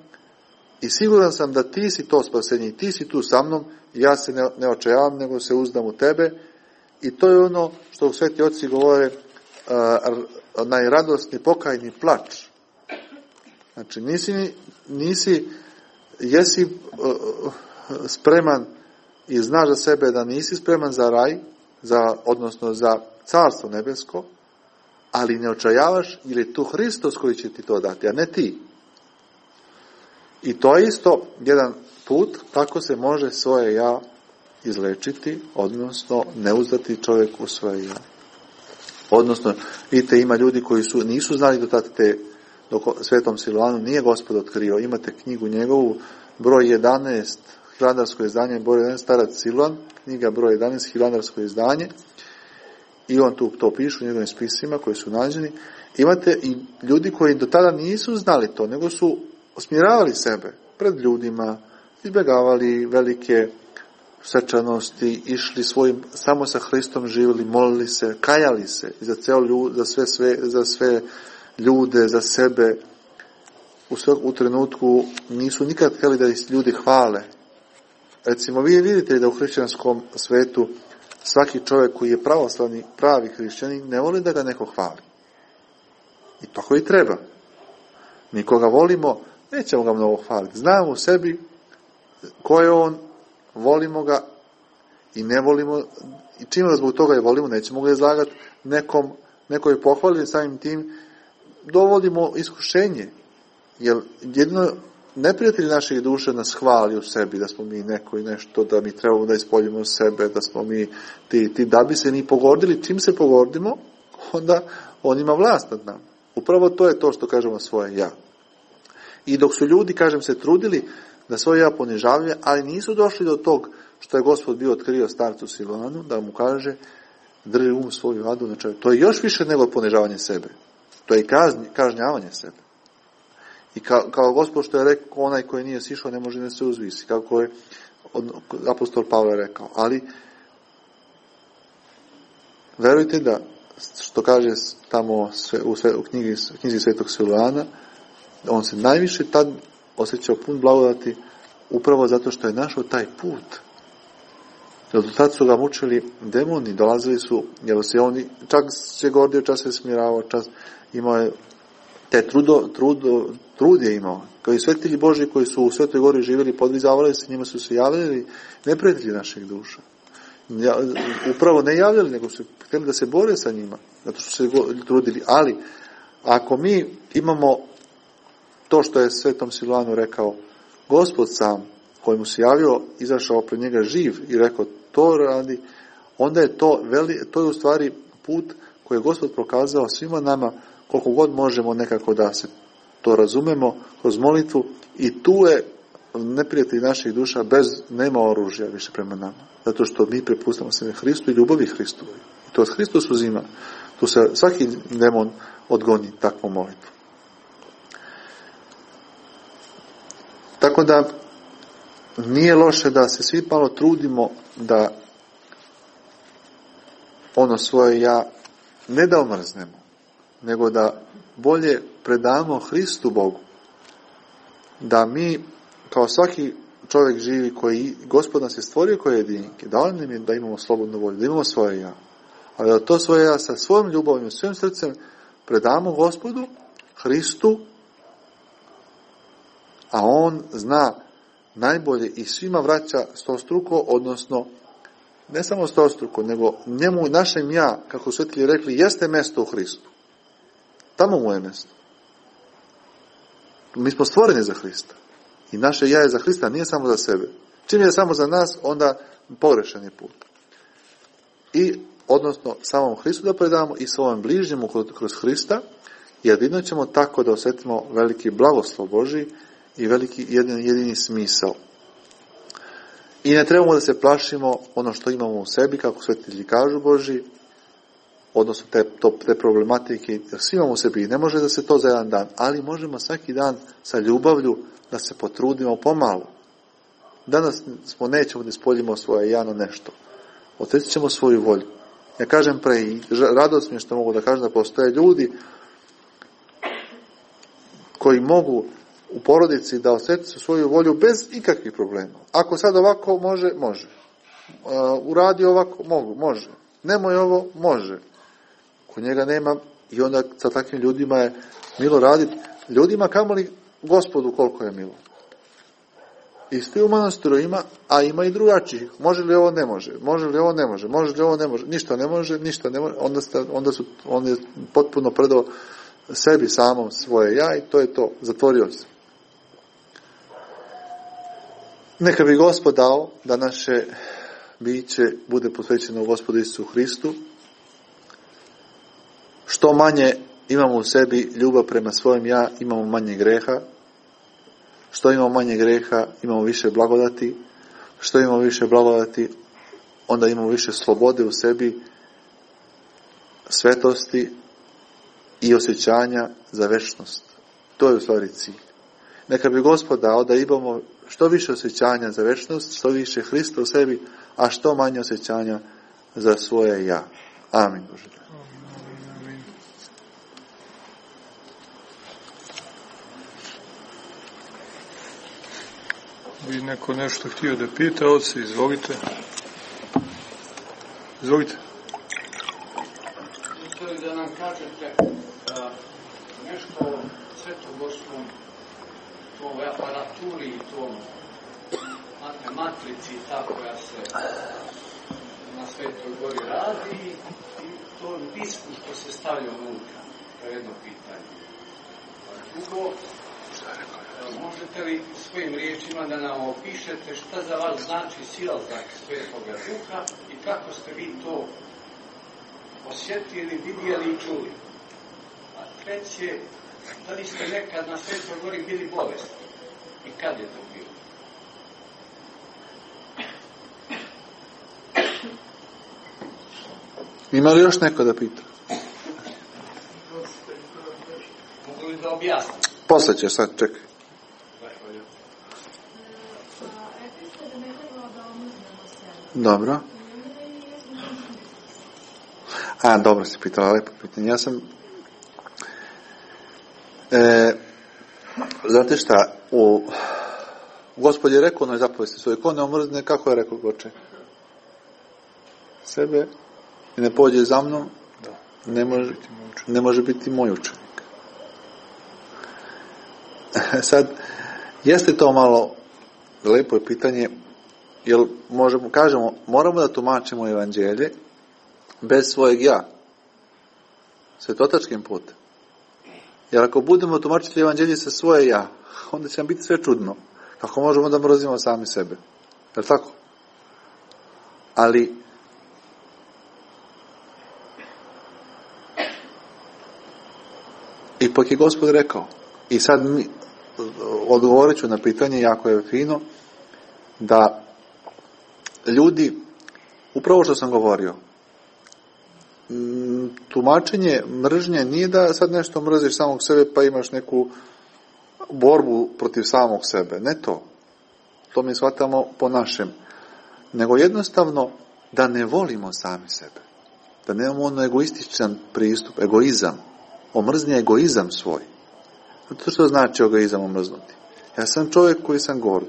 i siguran sam da ti si to spasenje i ti si tu sa mnom i ja se ne očajavam, nego se uzdam u tebe. I to je ono što sveti oci govore, najradosni pokajni plač. Znači, jesi spreman i znaš za sebe da nisi spreman za raj, odnosno za carstvo nebesko, ali ne očajavaš, jer je tu Hristos koji će ti to dati, a ne ti. I to je isto jedan put kako se može svoje ja izlečiti, odnosno ne uzdati čovjeku svoje ja. Odnosno, vidite, ima ljudi koji nisu znali do tada dok Svetom Siluanu nije Gospod otkrio. Imate knjigu njegovu, broj 11, hilandarsko izdanje, broj 11, starac Siluan, knjiga broj 11, hilandarsko izdanje, i on tu to piše u njegovim spisima koji su nađeni. Imate i ljudi koji do tada nisu znali to, nego su osmiravali sebe pred ljudima, izbjegavali velike svečanosti, išli svojim, samo sa Hristom živjeli, molili se, kajali se za sve ljude, za sebe. U trenutku nisu nikad htjeli da ih ljudi hvale. Recimo, vi vidite da u hrišćanskom svetu svaki čovjek koji je pravoslavni, pravi hrišćanin, ne voli da ga neko hvali. I tako i treba. Mi koga volimo, nećemo ga mnogo hvaliti. Znamo u sebi ko je on, volimo ga i ne volimo, i čim ga zbog toga je volimo, nećemo ga izlagati nekoj pohvali, samim tim dovodimo iskušenje. Jer jedino neprijatelj naših duše nas hvali u sebi, da smo mi neko i nešto, da mi trebamo da ispoljimo sebe, da smo mi ti, da bi se ni pogordili. Čim se pogordimo, onda on ima vlast nad nama. Upravo to je to što kažemo svoje ja. I dok su ljudi, kažem, se trudili da svoje ja ponižavaju, ali nisu došli do tog što je Gospod bio otkrio starcu Siluanu, da mu kaže, drži svoju adu na čovjeku. To je još više nego ponižavanje sebe. To je kažnjavanje sebe. I kao Gospod što je rekao, onaj koji nije sišao ne može da se uzvisi, kako je apostol Pavle rekao. Ali verujte da, što kaže tamo u knjizi Svetog Siluana, on se najviše tad osjećao pun blagodati upravo zato što je našao taj put. Jer do tad su ga mučili demoni, dolazili su, jer se on čak se gordio, čas se smiravao, čas imao je te trud je imao. Kao i svetitelji Božji koji su u Svetoj Gori živjeli, podvizavali se, njima su se javljali neprijatelji naših duša. Upravo ne javljali, nego su htjeli da se bore sa njima, zato što su se trudili. Ali, ako mi imamo to što je Svetom Siluanu rekao, Gospod sam, koji mu se javio, izašao pred njega živ i rekao, to radi, onda je to je u stvari put koji je Gospod prokazao svima nama, koliko god možemo nekako da se to razumemo kroz molitvu, i tu je neprijatelj naših duša nema oružja više prema nama. Zato što mi prepustamo sebe Hristu i ljubavi Hristovoj. I to Hristos uzima. Tu se svaki demon odgoni takvu molitvu. Tako da nije loše da se svi malo trudimo da ono svoje ja ne da omrznemo, nego da bolje predamo Hristu Bogu. Da mi, kao svaki čovjek živi koji Gospod nas je stvorio koje jedinke, dao nam je da imamo slobodnu volju, da imamo svoje ja. Ali da to svoje ja sa svojom ljubavim, svojim srcem predamo Gospodu, Hristu, a On zna najbolje i svima vraća stostruko, odnosno ne samo stostruko, nego njemu, našem ja, kako su svetitelji rekli, jeste mjesto u Hristu. Tamo mu je mjesto. Mi smo stvoreni za Hrista. I naše ja je za Hrista, nije samo za sebe. Čim je samo za nas, onda pogrešan je put. I, odnosno, samom Hristu da predamo i svojom bližnjemu kroz Hrista, jedino ćemo tako da osjetimo veliki blagoslov Božji i veliki jedini smisao. I ne trebamo da se plašimo ono što imamo u sebi, kako svetitelji kažu Božji, odnosno te problematike, jer svi imamo u sebi i ne može da se to za jedan dan, ali možemo svaki dan sa ljubavlju da se potrudimo pomalo. Danas nećemo da ispoljimo svoje ja na nešto. Oteći ćemo svoju volju. Ja kažem pre i radost mi je što mogu da kažem da postoje ljudi koji mogu u porodici da osjeti svoju volju bez ikakvih problema. Ako sad ovako može, može. Uradi ovako, može. Nemoj ovo, može. Kod njega nema i onda sa takvim ljudima je milo raditi. Ljudima kamoli Gospodu koliko je milo. Isti u manastiru ima, a ima i drugačijih. Može li ovo, ne može. Može li ovo, ne može. Može li ovo, ne može. Ništa ne može. On je potpuno predao sebi samom svoje ja i to je to. Zatvorio se. Neka bi Gospod dao da naše biće bude posvećeno Gospodu Isusu Hristu. Što manje imamo u sebi ljubav prema svojem ja, imamo manje greha. Što imamo manje greha, imamo više blagodati. Što imamo više blagodati, onda imamo više slobode u sebi, svetosti i osjećanja za večnost. To je u stvari cilj. Neka bi Gospod dao da imamo što više osjećanja za večnost, što više Hrista u sebi, a što manje osjećanja za svoje ja. Amin. Bože. Bi neko nešto htio da pita, oci, izvolite. Izvolite. Htio da nam kažete nešto o svetogorskom toj aparaturi i tom matrici ta koja se na Svetoj Gori radi i tom disku što se stavlja unutra. To je jedno pitanje. Drugo, možete li svojim riječima da nam opišete šta za vas znači silazak Svetoga Duha i kako ste vi to osjetili, vidjeli i čuli? A treće, da li ste nekad na Svetoj Gori bili bolesni i kad je to bilo? Ima li još neko da pita? Mogu li da objasnim? Posle će sad, čekaj. Dobro. Dobro si pitala, lepo pitanje. Ja sam znate šta, Gospod je rekao onoj zapovesti svoje, ko ne omrzne, kako je rekao Goče? Sebe i ne pođe za mnom, ne može biti moj učenik. Sad, jeste to malo lepo je pitanje, jer kažemo, moramo da tumačimo evanđelje bez svojeg ja, svetotačkim putem. Jer ako budemo tumačiti evanđelje sa svoje ja, onda će nam biti sve čudno. Kako možemo da mrzimo sami sebe? Je li tako? Ali ipak je Gospod rekao, i sad odgovorit ću na pitanje, jako je fino, da ljudi, upravo što sam govorio, tumačenje mržnje nije da sad nešto mrziš samog sebe pa imaš neku borbu protiv samog sebe, ne to. to mi shvatamo po našem, nego jednostavno da ne volimo sami sebe. Da nemamo ono egoističan pristup, egoizam. Omrzni egoizam svoj. To što znači egoizam omrznuti? Ja sam čovjek koji sam gord.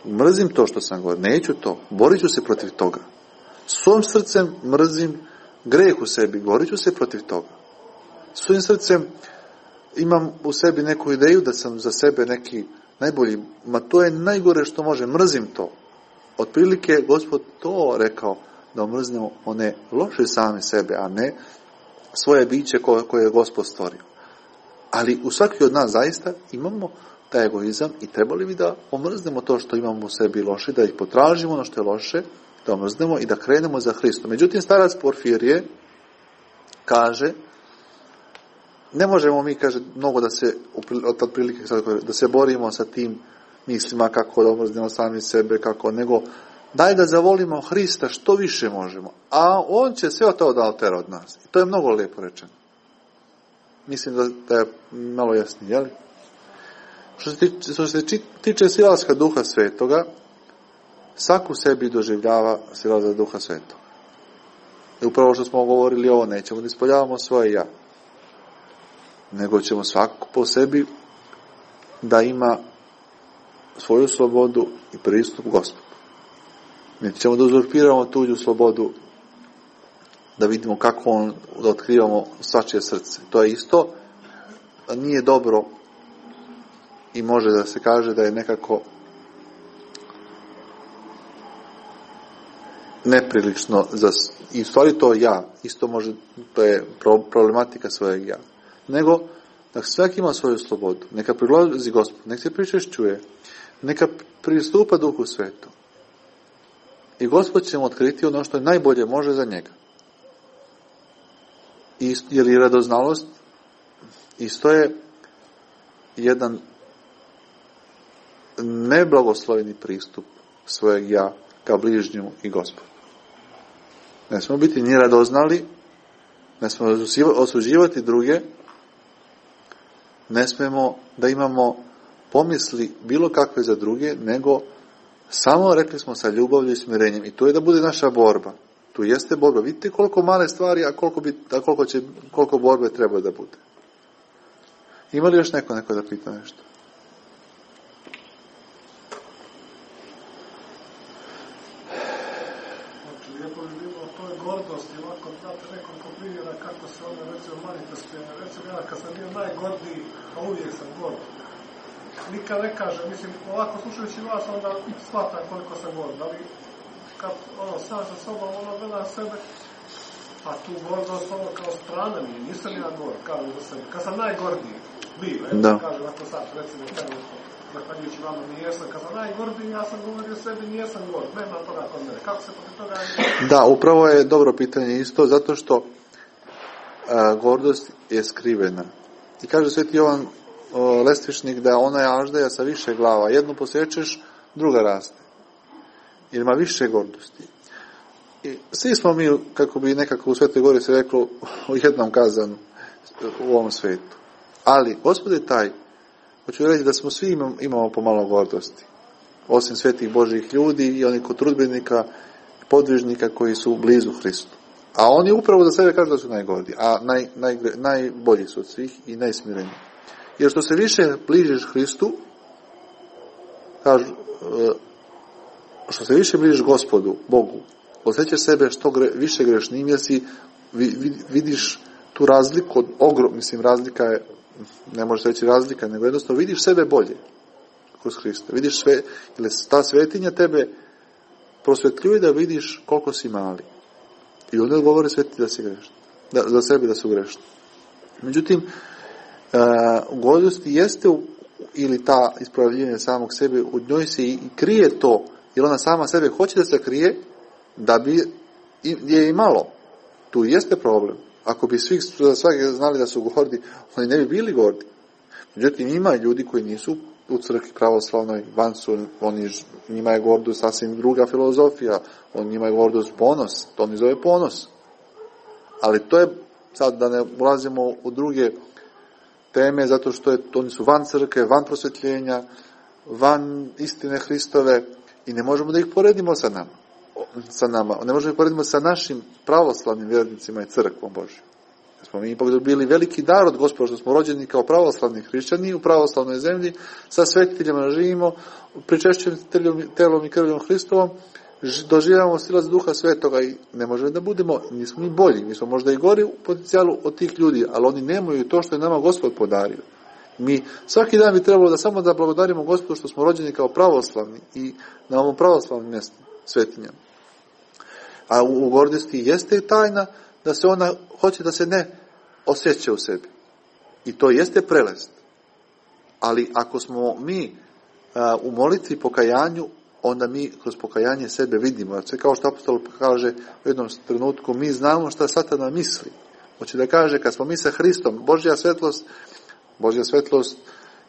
Mrzim to što sam gord. Neću to. Borit ću se protiv toga. Svojim srcem mrzim greh u sebi. Borit ću se protiv toga. Svojim srcem imam u sebi neku ideju da sam za sebe neki najbolji. Ma to je najgore što može. Mrzim to. Otprilike Gospod to rekao, da omrznemo one loše same sebe, a ne svoje biće koje je Gospod stvorio. Ali u svaki od nas zaista imamo taj egoizam i trebali bi da omrznemo to što imamo u sebi loše, da ih potražimo ono što je loše, da omrznemo i da krenemo za Hristom. Međutim, starac Porfirije kaže, ne možemo mi, kaže, mnogo da se, otprilike, da se borimo sa tim mislima kako da omrznemo sami sebe, kako, nego daj da zavolimo Hrista što više možemo, a on će sve to da otera od nas. I to je mnogo lijepo rečeno. Mislim da je malo jasnije, jel? Što se tiče silaska Duha Svetoga, svak u sebi doživljava silazak Duha Svetoga. I upravo što smo govorili ovo, nećemo da ispoljavamo svoje ja, nego ćemo svako po sebi da ima svoju slobodu i pristup Gospodu. Nećemo da uzurpiramo tuđu slobodu, da vidimo kako da otkrivamo svačije srce. To je isto, nije dobro i može da se kaže da je nekako neprilično i u stvari to ja, isto može, to je problematika svojeg ja. Nego, da svaki ima svoju slobodu, neka prilazi Gospod, neka se pričešćuje, neka pristupa Duhu Svetom. I Gospod će mu otkriti ono što je najbolje može za njega. Jer i radoznalost isto je jedan neblagosloveni pristup svojeg ja ka bližnju i Gospodu. Ne smemo biti ni radoznali, ne smemo osuđivati druge, ne smemo da imamo pomisli bilo kakve za druge, nego samo, rekli smo, sa ljubavlju i smirenjem. I to je da bude naša borba. Tu jeste borba. Vidite koliko male stvari, a koliko borbe treba da bude. Ima li još neko da pita nešto? Znači, lijepo bi bilo to je gordost i ovako date nekoliko primjera kako se ona recimo manifestuje. Recimo ja kad sam bio najgordiji, a uvijek sam gord. Nikad ne kažem, mislim, ovako slušajući vas, onda shvatam koliko sam gord. Ali kad sam sa sobom, gleda sebe, a tu gordost kao strana mi je, nisam ja gord, kažem za sebe. Kad sam najgordiji bio, kažem ako sad, recimo, zahvaljujući vama nijesam, kad sam najgordiji, ja sam govorio sebi, nijesam gord, nema toga kod mene. Kako se protiv toga... Da, upravo je dobro pitanje isto, zato što gordost je skrivena. I kaže Sveti Jovan Lestvišnik da ona je aždaja sa više glava. Jednu posjećeš, druga raste. Jer ima više gordosti. I svi smo mi, kako bi nekako u Svetoj Gori se reklo, u jednom kazanu u ovom svetu. Ali, Gospod je taj, hoću reći da smo svi imamo pomalo gordosti. Osim svetih Božjih ljudi i onih kod trudbenika, podvižnika koji su blizu Hristu. A oni upravo za sebe kažu da su najgordi, a najbolji su od svih i najsmireniji. Jer što se više bližiš Hristu, kažu, što se više bližiš Gospodu, Bogu, osjećaš sebe što više grešnim, jer si vidiš tu razliku od razlika je, ne može se reći razlika, nego jednostavno vidiš sebe bolje kroz Hrista. Vidiš sve, jer ta svetinja tebe prosvetljuje da vidiš koliko si mali. I onda govore sveti da si grešni. Za sebe da su grešni. Međutim, u gordosti jeste ili ta ispravljanje samog sebe, u njoj se i krije to, jer ona sama sebe hoće da se krije, da bi je i malo. Tu jeste problem. Ako bi svi znali da su gordi, oni ne bi bili gordi. Međutim, ima ljudi koji nisu u crkvi pravoslavnoj, van su, njima je gordost sasvim druga filozofija, njima je gordost ponos, to oni zove ponos. Ali to je, sad da ne ulazimo u druge teme, zato što oni su van crkve, van prosvjetljenja, van istine Hristove i ne možemo da ih poredimo sa nama. Ne možemo da ih poredimo sa našim pravoslavnim vjernicima i crkvom Božjom. Smo mi ipak dobili veliki dar od Gospoda što smo rođeni kao pravoslavni hrišćani u pravoslavnoj zemlji, sa svetiteljima živimo, pričešćenim telom i krvljom Hristovom, doživljavamo silac Duha Svetoga i ne možemo da budemo, nismo mi bolji, mi smo možda i gori u potencijalu od tih ljudi, ali oni nemaju to što je nama Gospod podario. Mi svaki dan bi trebalo da samo da blagodarimo Gospodu što smo rođeni kao pravoslavni i na ovom pravoslavnom mjestu, svetinjama. A u gordosti jeste tajna da se ona hoće da se ne osjeća u sebi. I to jeste prelest. Ali ako smo mi u molitvi pokajanju, onda mi kroz pokajanje sebe vidimo. Sve kao što apostol kaže u jednom trenutku, mi znamo šta Satana misli. Hoće da kaže, kad smo mi sa Hristom, Božja svetlost,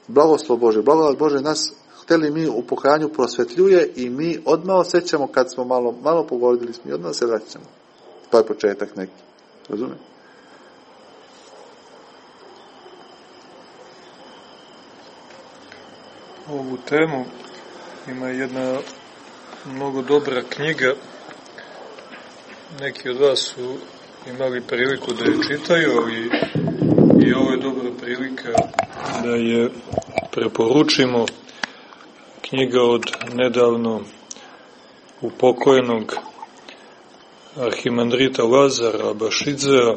blagoslov Bože, blagodat Bože nas hteli mi u pokajanju prosvetljuje i mi odmah osjećamo kad smo malo pogodili, mi odmah se vraćamo. To je početak neki. Razumije? Ovu temu ima jedna mnogo dobra knjiga. Neki od vas su imali priliku da je čitaju, ali i ovo je dobra prilika da je preporučimo. Knjiga od nedavno upokojenog arhimandrita Lazara Abašidzea,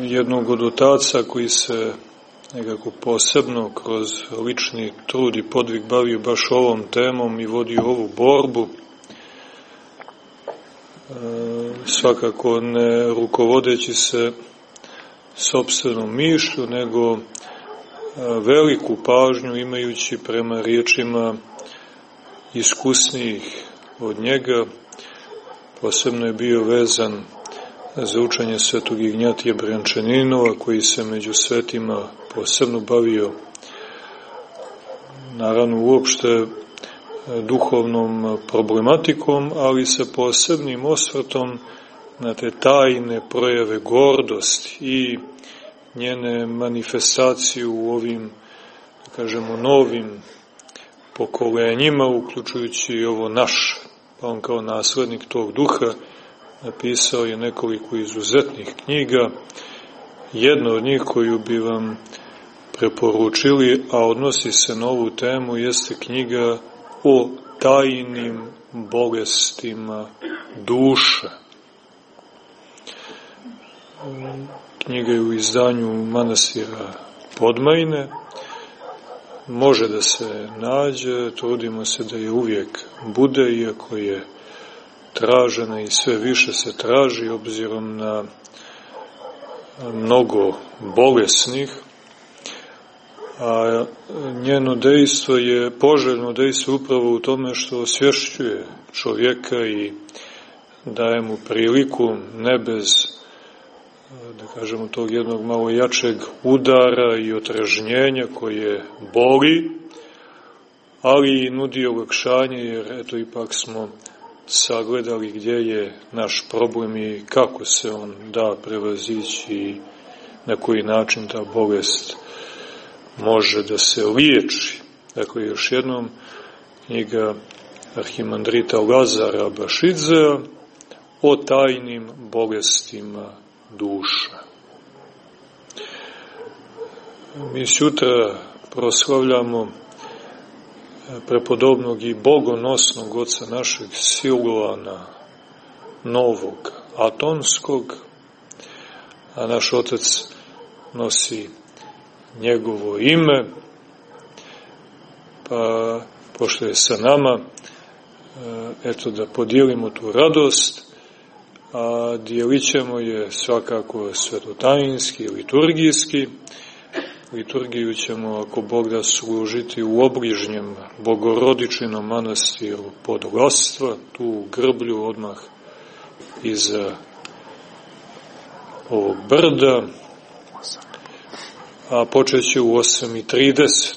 jednog od otaca koji se nekako posebno kroz lični trud i podvig bavio baš ovom temom i vodio ovu borbu, svakako ne rukovodeći se sopstvenom mišlju, nego veliku pažnju imajući prema riječima iskusnijih od njega. Posebno je bio vezan za učenje svetog Ignjatija Brjančaninova, koji se među svetima posebno bavio, naravno uopšte duhovnom problematikom, ali sa posebnim osvrtom na te tajne projave gordosti i njene manifestacije u ovim, da kažemo, novim pokolenjima, uključujući i ovo naše. Pa on kao naslednik tog duha napisao je nekoliko izuzetnih knjiga. Jedna od njih koju bi vam preporučili, a odnosi se na ovu temu, jeste knjiga o tajnim bolestima duše. Knjiga je u izdanju manastira Podmajne. Može da se nađe, trudimo se da je uvijek bude, iako je tražena i sve više se traži, obzirom na mnogo bolesnih, a njeno dejstvo je poželjno dejstvo upravo u tome što osvješćuje čovjeka i daje mu priliku, ne bez, da kažemo, tog jednog malo jačeg udara i otrežnjenja koje boli, ali i nudi olakšanje, jer eto ipak smo sagledali gdje je naš problem i kako se on da prevazići i na koji način ta bolest može da se liječi. Dakle, još jednom, knjiga arhimandrita Lazara Abašidzea o tajnim bolestima duše. Mi sutra proslavljamo prepodobnog i bogonosnog oca našeg Siluana Novog Atonskog, a naš otac nosi njegovo ime, pa pošto je sa nama, eto da podijelimo tu radost, a dijelit ćemo je svakako svetotajinski, liturgijski. Liturgiju ćemo, ako Bog da, služiti u obližnjem Bogorodičinom manastiru Podglastva, tu u Grblju, odmah iza ovog brda, a počet će u 8:30,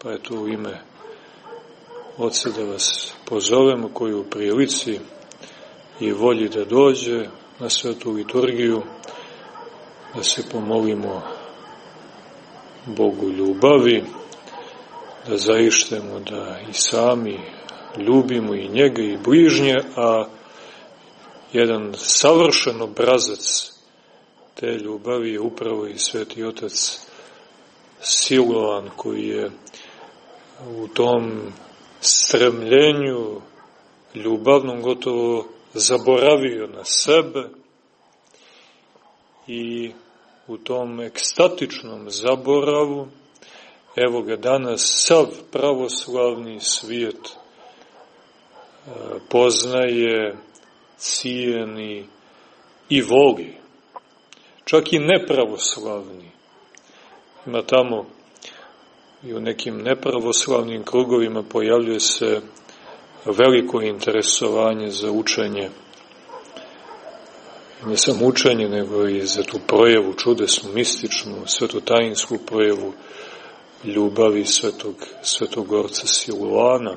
pa je to u ime Oca da vas pozovemo, koji u prilici i volji da dođe na svetu liturgiju, da se pomolimo Bogu ljubavi da zaištemo da i sami ljubimo i njega i bližnje, a jedan savršen obrazac te ljubavi je upravo i Sveti Otac Siloan, koji je u tom stremljenju ljubavnom gotovo zaboravio na sebe i u tom ekstatičnom zaboravu, evo ga danas sav pravoslavni svijet poznaje, cijeni i voli. Čak i nepravoslavni. Ima tamo i u nekim nepravoslavnim krugovima pojavljuje se veliko interesovanje za učenje. Ne samo učenje, nego i za tu projevu čudesnu, mističnu, svetotajinsku projevu ljubavi svetog orca Siluana.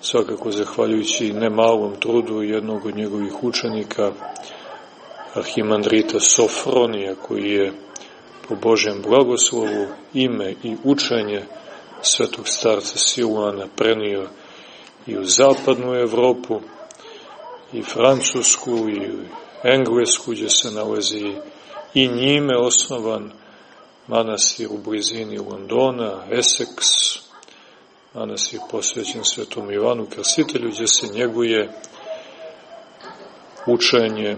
Svakako zahvaljujući nemalom trudu jednog od njegovih učenika, arhimandrita Sofronija, koji je po Božjem blagoslovu ime i učenje svetog starca Siluana prenio i u zapadnu Evropu, i Francusku, i Englesku, gdje se nalazi i njime osnovan manastir u blizini Londona, Essex, manastir posvećen Svetom Ivanu Krstitelju, gdje se njeguje učenje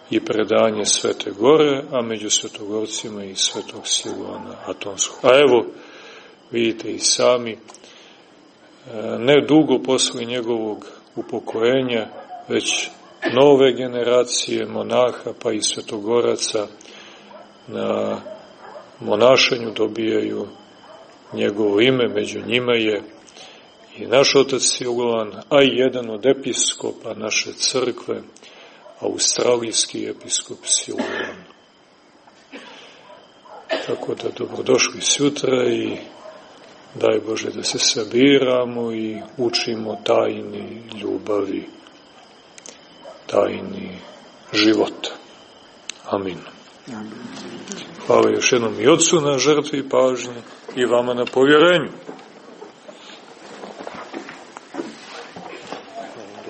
i predanje Svete Gore, a među svetogorcima i Svetog Siluana Atonskog. A evo, vidite i sami, ne dugo posle njegovog upokojenja, već nove generacije monaha pa i svetogoraca na monašenju dobijaju njegovo ime, među njima je i naš otac Siluan, a i jedan od episkopa naše crkve, australijski episkop Siluan. Tako da dobrodošli sutra i daj Bože da se sabiramo i učimo tajni ljubavi, tajni života. Amin. Hvala još jednom i Otcu na žrtvi i pažnji i vama na povjerenju.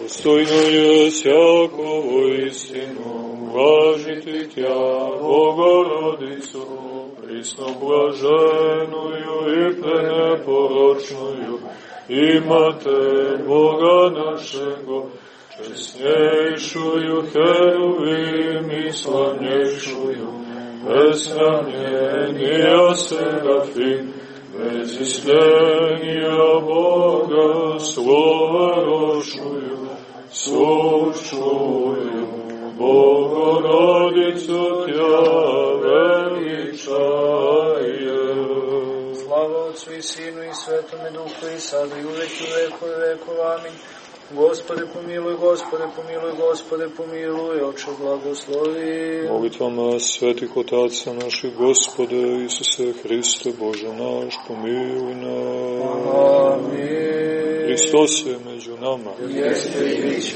Dostojno je sjakovo istinu uvažiti Tja, Bogorodicu, prisno blaženuju i preneporočnuju, imate Boga našego, česnjejšuju heruvim i slavnjejšuju, besramljenija serafim, bez ismjenija Boga slova rošuju, sučuju, Bogorodicu Tja veličaje. Slava Otcu i Sinu i Svetome Duhu i sada i uvek i vekove vekova. Amin. Gospode pomiluj, Gospode pomiluj, Gospode pomiluj, Oče blagoslovi. Molitvama svetih otaca naših, Gospode Isuse Hriste, Bože naš, pomiluj nas. Amin. Hristos je među nama. Jeste i biće.